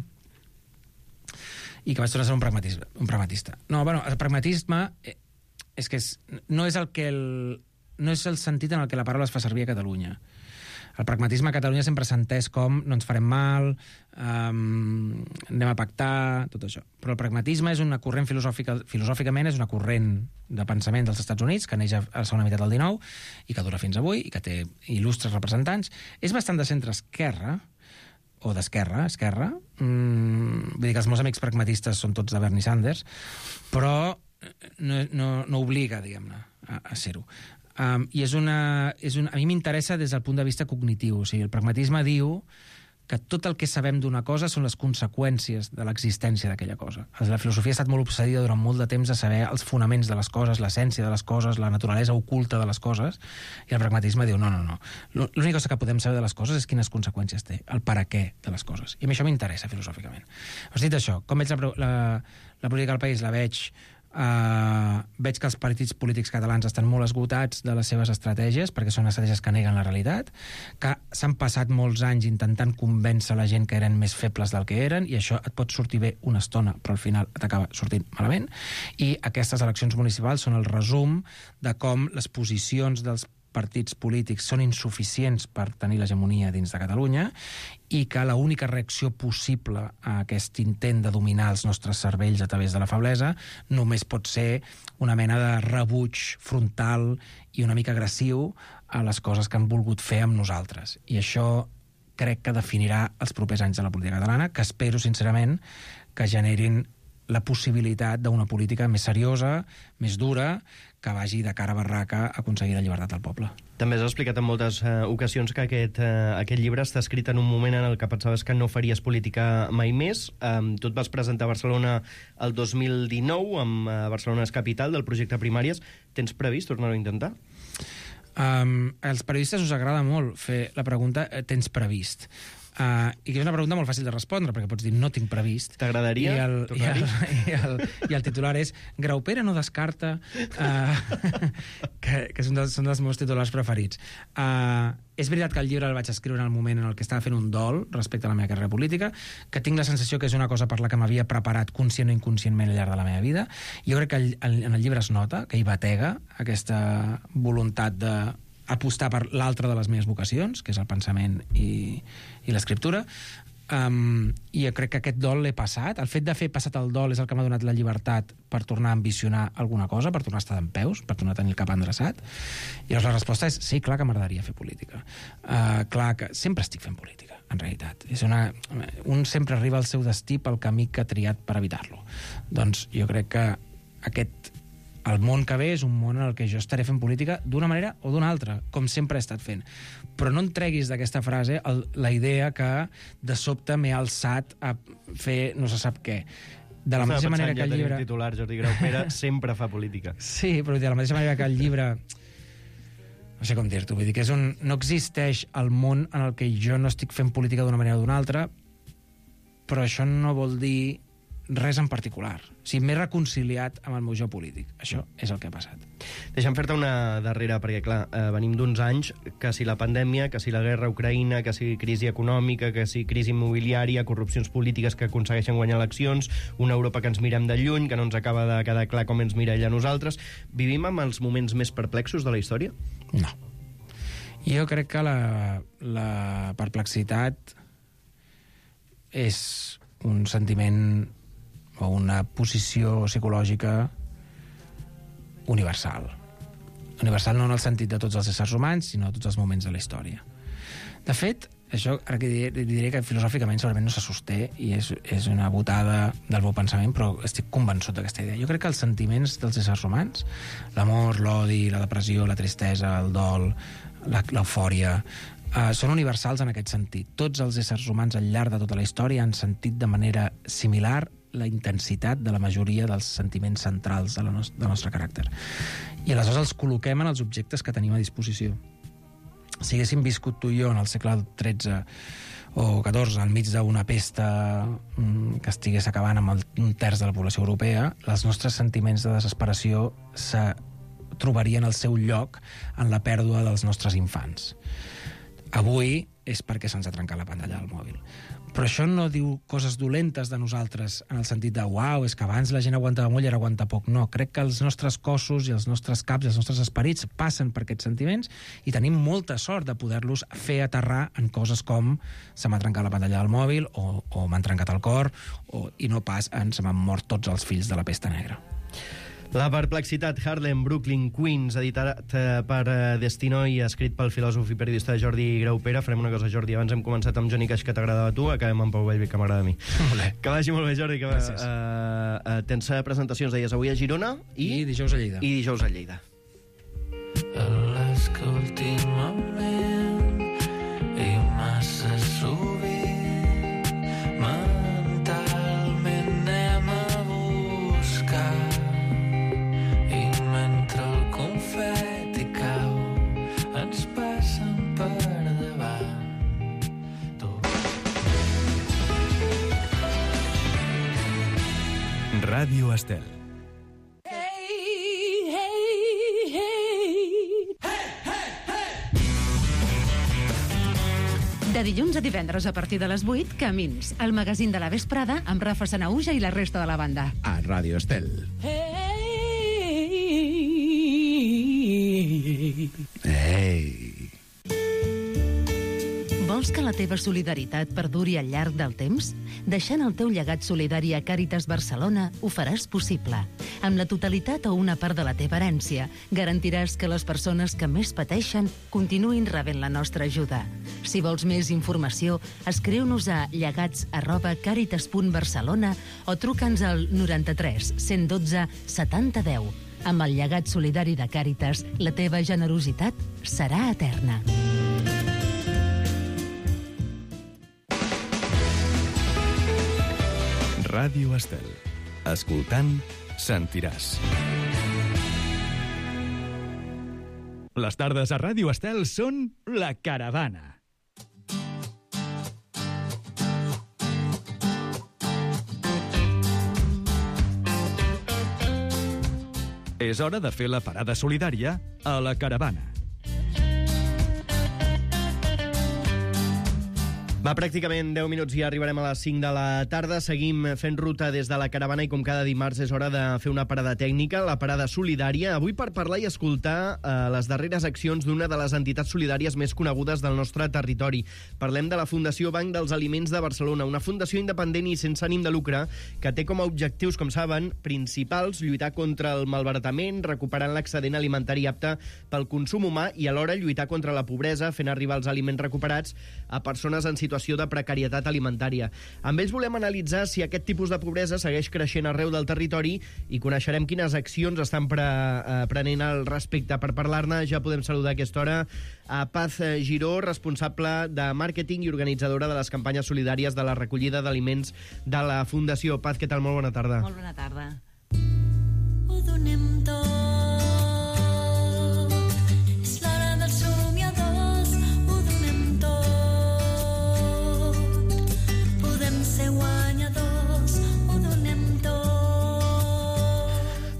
i que vaig tornar a ser un pragmatista. Un pragmatista. No, bueno, el pragmatisme és que és, no és el que el, no és el sentit en el que la paraula es fa servir a Catalunya. El pragmatisme a Catalunya sempre s'ha entès com no ens farem mal, um, anem a pactar, tot això. Però el pragmatisme és una corrent filosòfica, filosòficament és una corrent de pensament dels Estats Units que neix a la segona meitat del dinou i que dura fins avui i que té il·lustres representants. És bastant de centre-esquerra, o d'esquerra, esquerra. Mm, vull dir que els meus amics pragmatistes són tots de Bernie Sanders, però no, no, no obliga, diguem-ne, a, a ser-ho. Um, I és una, és una, a mi m'interessa des del punt de vista cognitiu. O sigui, el pragmatisme diu que tot el que sabem d'una cosa són les conseqüències de l'existència d'aquella cosa. La filosofia ha estat molt obsedida durant molt de temps a saber els fonaments de les coses, l'essència de les coses, la naturalesa oculta de les coses, i el pragmatisme diu, no, no, no. L'única cosa que podem saber de les coses és quines conseqüències té, el per a què de les coses. I a mi això m'interessa filosòficament. Has dit això, com veig la, la, la política del país? La veig... Uh, veig que els partits polítics catalans estan molt esgotats de les seves estratègies, perquè són estratègies que neguen la realitat, que s'han passat molts anys intentant convèncer la gent que eren més febles del que eren, i això et pot sortir bé una estona, però al final t'acaba sortint malament. I aquestes eleccions municipals són el resum de com les posicions dels partits polítics són insuficients per tenir l'hegemonia dins de Catalunya i que l'única reacció possible a aquest intent de dominar els nostres cervells a través de la feblesa només pot ser una mena de rebuig frontal i una mica agressiu a les coses que han volgut fer amb nosaltres. I això crec que definirà els propers anys de la política catalana, que espero, sincerament, que generin la possibilitat d'una política més seriosa, més dura, que vagi de cara a barraca a aconseguir la llibertat del poble. També has explicat en moltes uh, ocasions que aquest, uh, aquest llibre està escrit en un moment en el que pensaves que no faries política mai més. Um, tu et vas presentar a Barcelona el dos mil dinou, amb uh, Barcelona és capital del projecte Primàries. Tens previst tornar-ho a intentar? Um, als periodistes us agrada molt fer la pregunta tens previst. Uh, i que és una pregunta molt fàcil de respondre, perquè pots dir no tinc previst. T'agradaria I el, i, el, i, el, i el titular és Graupera no descarta, uh, que, que són, dels, són dels meus titulars preferits. Uh, és veritat que el llibre el vaig escriure en el moment en el que estava fent un dol respecte a la meva carrera política, que tinc la sensació que és una cosa per la que m'havia preparat conscient o inconscientment al llarg de la meva vida. Jo crec que el, el, en el llibre es nota que hi batega aquesta voluntat de apostar per l'altra de les meves vocacions, que és el pensament i, i l'escriptura. Um, I jo crec que aquest dol l'he passat. El fet de fer passat el dol és el que m'ha donat la llibertat per tornar a ambicionar alguna cosa, per tornar a estar dempeus, per tornar a tenir el cap endreçat. I llavors la resposta és sí, clar que m'agradaria fer política. Uh, clar que sempre estic fent política, en realitat. És una... Un sempre arriba al seu destí pel camí que ha triat per evitar-lo. Doncs jo crec que aquest... El món que ve és un món en el que jo estaré fent política d'una manera o d'una altra, com sempre he estat fent. Però no en treguis d'aquesta frase el, la idea que de sobte m'he alçat a fer no se sap què. De la Estava mateixa manera ja que el llibre... titular, Jordi Graupera sempre fa política. Sí, però de la mateixa manera que el llibre... No sé com dir-t'ho, vull dir que és un... no existeix el món en el que jo no estic fent política d'una manera o d'una altra, però això no vol dir res en particular. O sigui, m'he reconciliat amb el meu jo polític. Això és el que ha passat. Deixa'm fer-te una darrera, perquè, clar, eh, venim d'uns anys que si la pandèmia, que si la guerra a Ucraïna, que si crisi econòmica, que si crisi immobiliària, corrupcions polítiques que aconsegueixen guanyar eleccions, una Europa que ens mirem de lluny, que no ens acaba de quedar clar com ens mira ella a nosaltres. Vivim amb els moments més perplexos de la història? No. Jo crec que la, la perplexitat és un sentiment o una posició psicològica universal. Universal no en el sentit de tots els éssers humans, sinó de tots els moments de la història. De fet, això ara que diré, diré que filosòficament segurament no se sosté i és, és una botada del meu pensament, però estic convençut d'aquesta idea. Jo crec que els sentiments dels éssers humans, l'amor, l'odi, la depressió, la tristesa, el dol, l'eufòria, Uh, són universals en aquest sentit. Tots els éssers humans al llarg de tota la història han sentit de manera similar la intensitat de la majoria dels sentiments centrals de la nos del nostre caràcter. I aleshores els col·loquem en els objectes que tenim a disposició. Si haguéssim viscut tu i jo en el segle tretze o catorze, al mig d'una pesta mm, que estigués acabant amb el, un terç de la població europea, els nostres sentiments de desesperació se trobarien el seu lloc en la pèrdua dels nostres infants. Avui és perquè se'ns ha trencat la pantalla del mòbil. Però això no diu coses dolentes de nosaltres en el sentit de uau, és que abans la gent aguantava molt i ara aguanta poc. No, crec que els nostres cossos i els nostres caps i els nostres esperits passen per aquests sentiments i tenim molta sort de poder-los fer aterrar en coses com se m'ha trencat la pantalla del mòbil o, o m'han trencat el cor o, i no pas en se m'han mort tots els fills de la pesta negra. La perplexitat, Harlem, Brooklyn, Queens, editat per Destino i escrit pel filòsof i periodista Jordi Graupera. Farem una cosa, Jordi, abans hem començat amb Johnny Cash, que t'agradava a tu, acabem amb Pau Vallvé, que m'agrada a mi. Molt bé. Que vagi molt bé, Jordi. Que, Gràcies. Uh, uh, tens presentacions, deies, avui a Girona i... I dijous a Lleida. I dijous a Lleida. Les que últimament i massa sovint mentalment anem a buscar i mentre el confeti cau ens passen per davant tot. Ràdio Estel. De dilluns a divendres a partir de les vuit, Camins, el magazín de la vesprada amb Rafa Sanauja i la resta de la banda. A Ràdio Estel. Ei! Vols que la teva solidaritat perduri al llarg del temps? Deixant el teu llegat solidari a Càritas Barcelona ho faràs possible. Amb la totalitat o una part de la teva herència, garantiràs que les persones que més pateixen continuïn rebent la nostra ajuda. Si vols més informació, escriu-nos a llegats arroba càritas punt barcelona o truca'ns al noranta-tres cent dotze setanta deu. Amb el llegat solidari de Càritas, la teva generositat serà eterna. Ràdio Estel. Escoltant, sentiràs. Les tardes a Ràdio Estel són La Caravana. És hora de fer la parada solidària a La Caravana. Va, pràcticament deu minuts i ja arribarem a les cinc de la tarda. Seguim fent ruta des de La Caravana i com cada dimarts és hora de fer una parada tècnica, la parada solidària. Avui per parlar i escoltar eh, les darreres accions d'una de les entitats solidàries més conegudes del nostre territori. Parlem de la Fundació Banc dels Aliments de Barcelona, una fundació independent i sense ànim de lucre que té com a objectius, com saben, principals lluitar contra el malbaratament, recuperant l'excedent alimentari apte pel consum humà i alhora lluitar contra la pobresa, fent arribar els aliments recuperats a persones en situació de precarietat alimentària. Amb ells volem analitzar si aquest tipus de pobresa segueix creixent arreu del territori i coneixerem quines accions estan pre, eh, prenent al respecte. Per parlar-ne ja podem saludar a aquesta hora a Paz Giró, responsable de màrqueting i organitzadora de les campanyes solidàries de la recollida d'aliments de la Fundació. Paz, què tal? Molt bona tarda. Molt bona tarda. Ho donem tot. És l'hora dels somiadors. Ho donem tot. Podem ser guanyadors. Ho donem tot.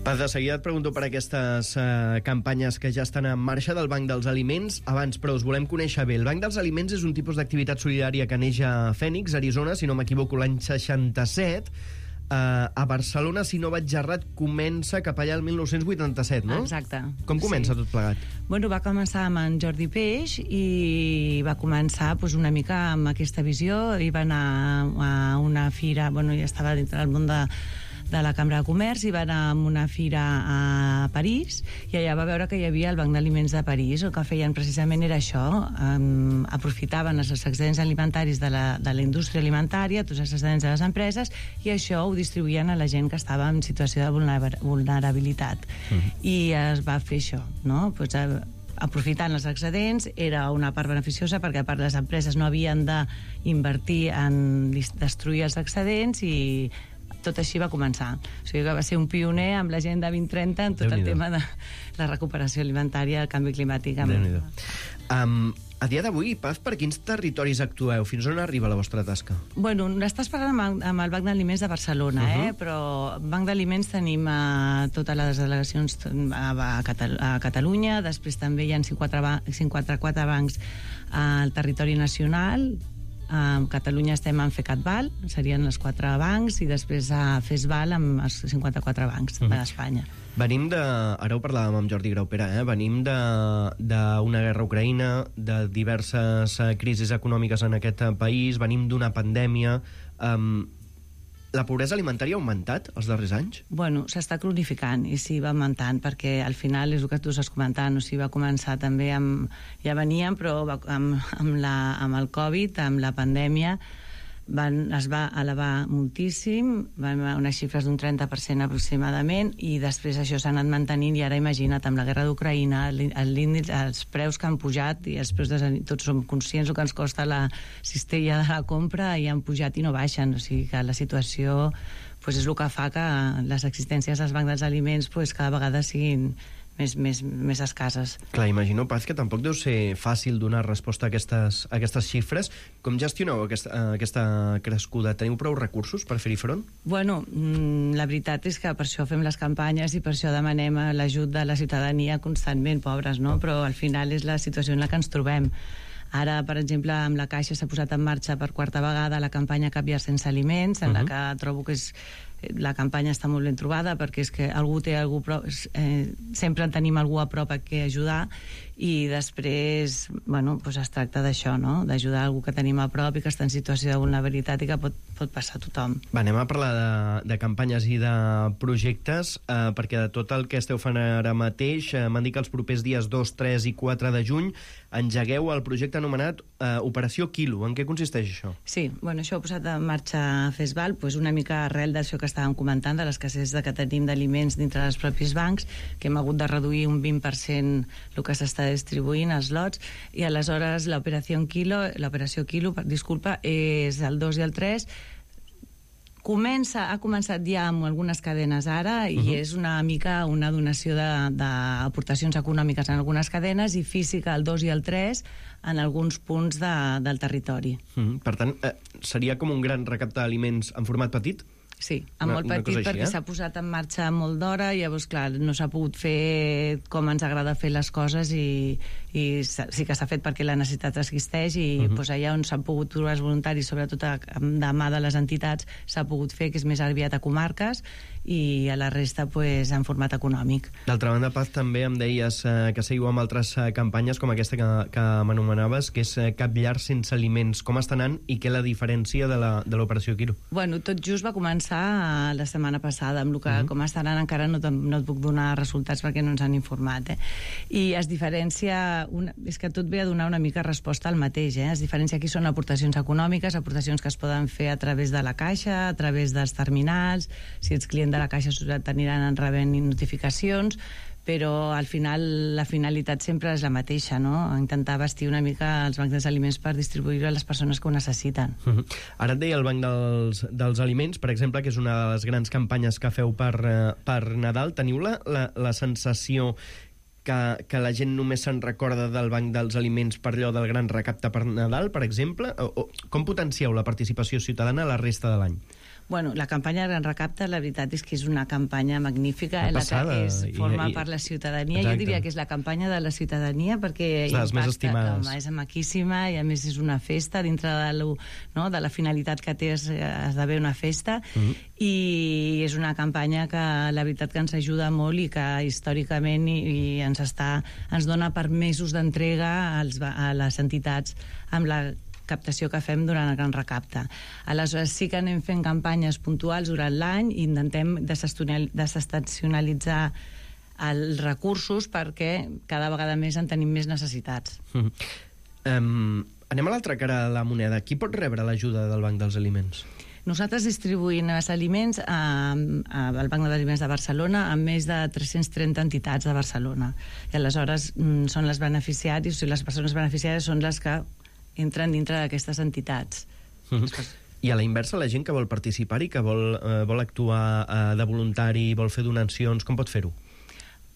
Paz, de seguida et pregunto per aquestes eh, campanyes que ja estan en marxa del Banc dels Aliments. Abans, però, us volem conèixer bé. El Banc dels Aliments és un tipus d'activitat solidària que neix a Phoenix, Arizona, si no m'equivoco, l'any seixanta-set. Uh, a Barcelona, si no vaig errat, comença cap allà el mil nou-cents vuitanta-set, no? Exacte. Com comença Sí. tot plegat? Bueno, va començar amb en Jordi Peix i va començar pues, una mica amb aquesta visió. I va anar a una fira, bueno, ja estava dintre del món de, de la Cambra de Comerç, i va anar a una fira a París i allà va veure que hi havia el Banc d'Aliments de París. El que feien precisament era això, um, aprofitaven els excedents alimentaris de la, de la indústria alimentària, tots els excedents de les empreses, i això ho distribuïen a la gent que estava en situació de vulner vulnerabilitat. Uh-huh. I es va fer això, no? Pues, a, aprofitant els excedents, era una part beneficiosa perquè a part les empreses no havien d'invertir en destruir els excedents i tot així va començar. O sigui que va ser un pioner amb l'agenda vint trenta en tot el tema de la recuperació alimentària, el canvi climàtic. Amb... Um, a dia d'avui, Paz, per quins territoris actueu? Fins on arriba la vostra tasca? Bueno, estàs parlant amb, amb el Banc d'Aliments de Barcelona, uh-huh. eh? Però Banc d'Aliments tenim a totes les delegacions a, a, Catal a Catalunya, després també hi ha cinquanta-quatre bancs al territori nacional. A Catalunya estem en FECATVAL, serien els quatre bancs, i després a FESVAL amb els cinquanta-quatre bancs uh-huh. d'Espanya. Venim de... Ara ho parlàvem amb Jordi Graupera, eh? Venim d'una guerra a Ucraïna, de diverses crisis econòmiques en aquest país, venim d'una pandèmia... Um, la pobresa alimentària ha augmentat els darrers anys? Bueno, s'està cronificant i sí, va augmentant, perquè al final és el que tu estàs comentant, o sigui, va començar també amb... Ja veníem, però va, amb, amb, la, amb el Covid, amb la pandèmia, van, es va elevar moltíssim, van haver unes xifres d'un trenta per cent aproximadament, i després això s'ha anat mantenint, i ara imagina't, amb la guerra d'Ucraïna, els preus que han pujat, i els preus de, tots som conscients del que ens costa la cistella de la compra, i han pujat i no baixen, o sigui que la situació pues, és el que fa que les existències dels bancs dels aliments pues, cada vegada siguin més, més, més escasses. Clar, imagino, Paz, que tampoc deu ser fàcil donar resposta a aquestes, a aquestes xifres. Com gestioneu aquesta, aquesta crescuda? Teniu prou recursos per fer-hi front? Bueno, la veritat és que per això fem les campanyes i per això demanem l'ajut de la ciutadania constantment, pobres, no? Però al final és la situació en la que ens trobem. Ara, per exemple, amb la Caixa s'ha posat en marxa per quarta vegada la campanya Canviar sense aliments, en uh-huh. la que trobo que és la campanya està molt ben trobada, perquè és que algú té algú prop, eh, sempre en tenim algú a prop a què ajudar, i després, bueno, doncs es tracta d'això, no? D'ajudar algú que tenim a prop i que està en situació de vulnerabilitat i que pot, pot passar a tothom. Va, anem a parlar de, de campanyes i de projectes, eh, perquè de tot el que esteu fent ara mateix, eh, m'han dit que els propers dies dos, tres i quatre de juny engegueu el projecte anomenat eh, Operació Quilo. En què consisteix això? Sí, bueno, això ho ha posat en marxa FESVAL, doncs una mica arrel d'això que estàvem comentant, de l'escassez que tenim d'aliments dintre dels propis bancs, que hem hagut de reduir un vint per cent el que s'està distribuint, els lots, i aleshores l'operació Quilo, l'operació Quilo, disculpa, és el dos i el tres. Comença, ha començat ja amb algunes cadenes ara, i uh-huh. és una mica una donació d'aportacions econòmiques en algunes cadenes i física el dos i el tres en alguns punts de, del territori. Uh-huh. Per tant, eh, seria com un gran recapte d'aliments en format petit? Sí, en molt petit, així, perquè eh? s'ha posat en marxa molt d'hora, i llavors, clar, no s'ha pogut fer com ens agrada fer les coses, i, i sí que s'ha fet perquè la necessitat existeix, i uh-huh. doncs allà on s'han pogut trobar els voluntaris, sobretot de mà de les entitats, s'ha pogut fer, que és més aviat a comarques, i a la resta pues, en format econòmic. D'altra banda, Paz, també em deies eh, que seguiu amb altres eh, campanyes com aquesta que, que m'anomenaves, que és eh, Cap llar sense aliments. Com està anant i què la diferència de l'operació Quilo? Bueno, tot just va començar eh, la setmana passada, amb el que uh-huh. com està anant encara no, no et puc donar resultats perquè no ens han informat. Eh? I es diferencia, una, és que tot ve a donar una mica resposta al mateix. Eh? Es diferencia aquí són aportacions econòmiques, aportacions que es poden fer a través de la Caixa, a través dels terminals, si ets client de la Caixa t'aniran rebent notificacions, però al final la finalitat sempre és la mateixa, no? Intentar vestir una mica els bancs dels aliments per distribuir-ho a les persones que ho necessiten. Uh-huh. Ara et deia el Banc dels, dels Aliments, per exemple, que és una de les grans campanyes que feu per, per Nadal. Teniu la, la, la sensació que, que la gent només se'n recorda del Banc dels Aliments per allò del gran recapte per Nadal, per exemple? O, o, com potencieu la participació ciutadana a la resta de l'any? Bueno, la campanya Gran Recapte, la veritat és que és una campanya magnífica, en la que és, forma I, i, part la ciutadania. Exacte. Jo diria que és la campanya de la ciutadania, perquè les més estimades. Home, és maquíssima, i a més és una festa dintre de, lo, no, de la finalitat que té, d'haver una festa, mm-hmm. i és una campanya que la veritat que ens ajuda molt i que històricament i, i ens, està, ens dona permesos d'entrega als, a les entitats amb la captació que fem durant el Gran Recapte. Aleshores sí que anem fent campanyes puntuals durant l'any i intentem desestacionalitzar els recursos perquè cada vegada més en tenim més necessitats. Mm. Um, anem a l'altra cara de la moneda. Qui pot rebre l'ajuda del Banc dels Aliments? Nosaltres distribuïm els aliments a, a, al Banc d'Aliments de Barcelona amb més de tres-cents trenta entitats de Barcelona. I aleshores mm, són les beneficiaris, o sigui, les persones beneficiàries són les que entren dintre d'aquestes entitats. Mm-hmm. I a la inversa, la gent que vol participar-hi, que vol, eh, vol actuar eh, de voluntari, vol fer donacions, com pot fer-ho?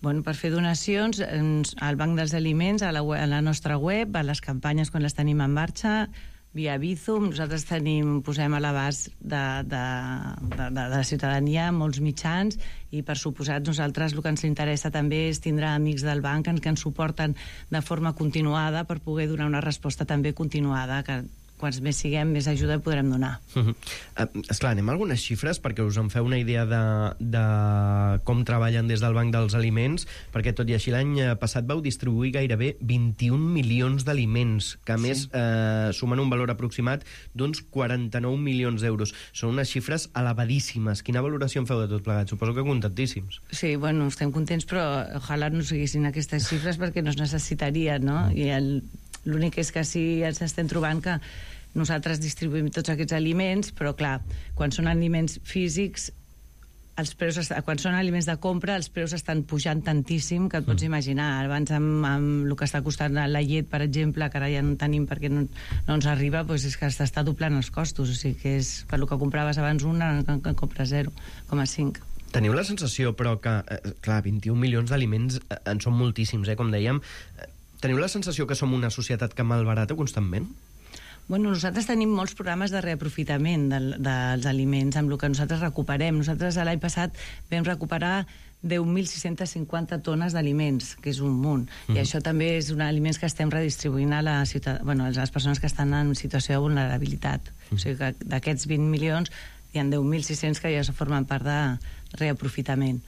Bueno, per fer donacions al Banc dels Aliments, a la, web, a la nostra web, a les campanyes quan les tenim en marxa, via Bizum, nosaltres tenim, posem a l'abast de, de, de, de la ciutadania molts mitjans i, per suposat, nosaltres el que ens interessa també és tindre amics del banc que ens suporten de forma continuada per poder donar una resposta també continuada, que quants més siguem, més ajuda podrem donar. Uh-huh. Uh, esclar, anem a algunes xifres perquè us en feu una idea de, de com treballen des del Banc dels Aliments, perquè tot i així l'any passat vau distribuir gairebé vint-i-un milions d'aliments, que a sí. més eh, sumen un valor aproximat d'uns quaranta-nou milions d'euros. Són unes xifres elevadíssimes. Quina valoració en feu de tot plegat? Suposo que contentíssims. Sí, bueno, estem contents, però ojalà no siguessin aquestes xifres perquè no es necessitarien, no? I el l'únic és que sí ens estem trobant que nosaltres distribuïm tots aquests aliments, però clar, quan són aliments físics, els preus, quan són aliments de compra, els preus estan pujant tantíssim que et pots imaginar. Abans amb, amb el que està costant la llet, per exemple, que ara ja no tenim perquè no, no ens arriba, doncs és que s'està doblant els costos, o sigui que és per lo que compraves abans una, que, que compres zero coma cinc. Teniu la sensació, però, que, eh, clar, vint-i-un milions d'aliments eh, en són moltíssims, eh, com dèiem. Teniu la sensació que som una societat que malbarata constantment? Bueno, nosaltres tenim molts programes de reaprofitament del, dels aliments, amb el que nosaltres recuperem. Nosaltres l'any passat vam recuperar deu mil sis-cents cinquanta tones d'aliments, que és un munt. Mm. I això també és un aliments que estem redistribuint a, la ciutat, bueno, a les persones que estan en situació de vulnerabilitat. Mm. O sigui que d'aquests vint milions hi ha deu mil sis-cents que ja formen part de reaprofitament.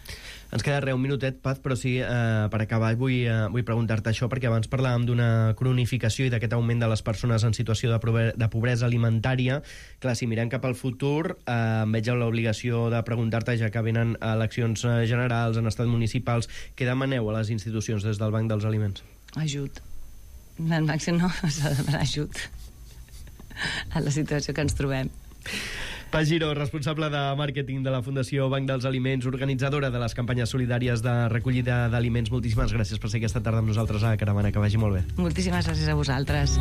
Ens queda res, un minutet, Paz, però sí, eh, per acabar vull, eh, vull preguntar-te això, perquè abans parlàvem d'una cronificació i d'aquest augment de les persones en situació de, de pobresa alimentària. Clar, si mirem cap al futur, eh, em veig l'obligació de preguntar-te, ja que venen eleccions generals en estats municipals, què demaneu a les institucions des del Banc dels Aliments? Ajut. El màxim no, s'ha de demanar ajut a la situació que ens trobem. Paz Giró, responsable de màrqueting de la Fundació Banc dels Aliments, organitzadora de les campanyes solidàries de recollida d'aliments. Moltíssimes gràcies per ser aquesta tarda amb nosaltres a Caravana, que vagi molt bé. Moltíssimes gràcies a vosaltres.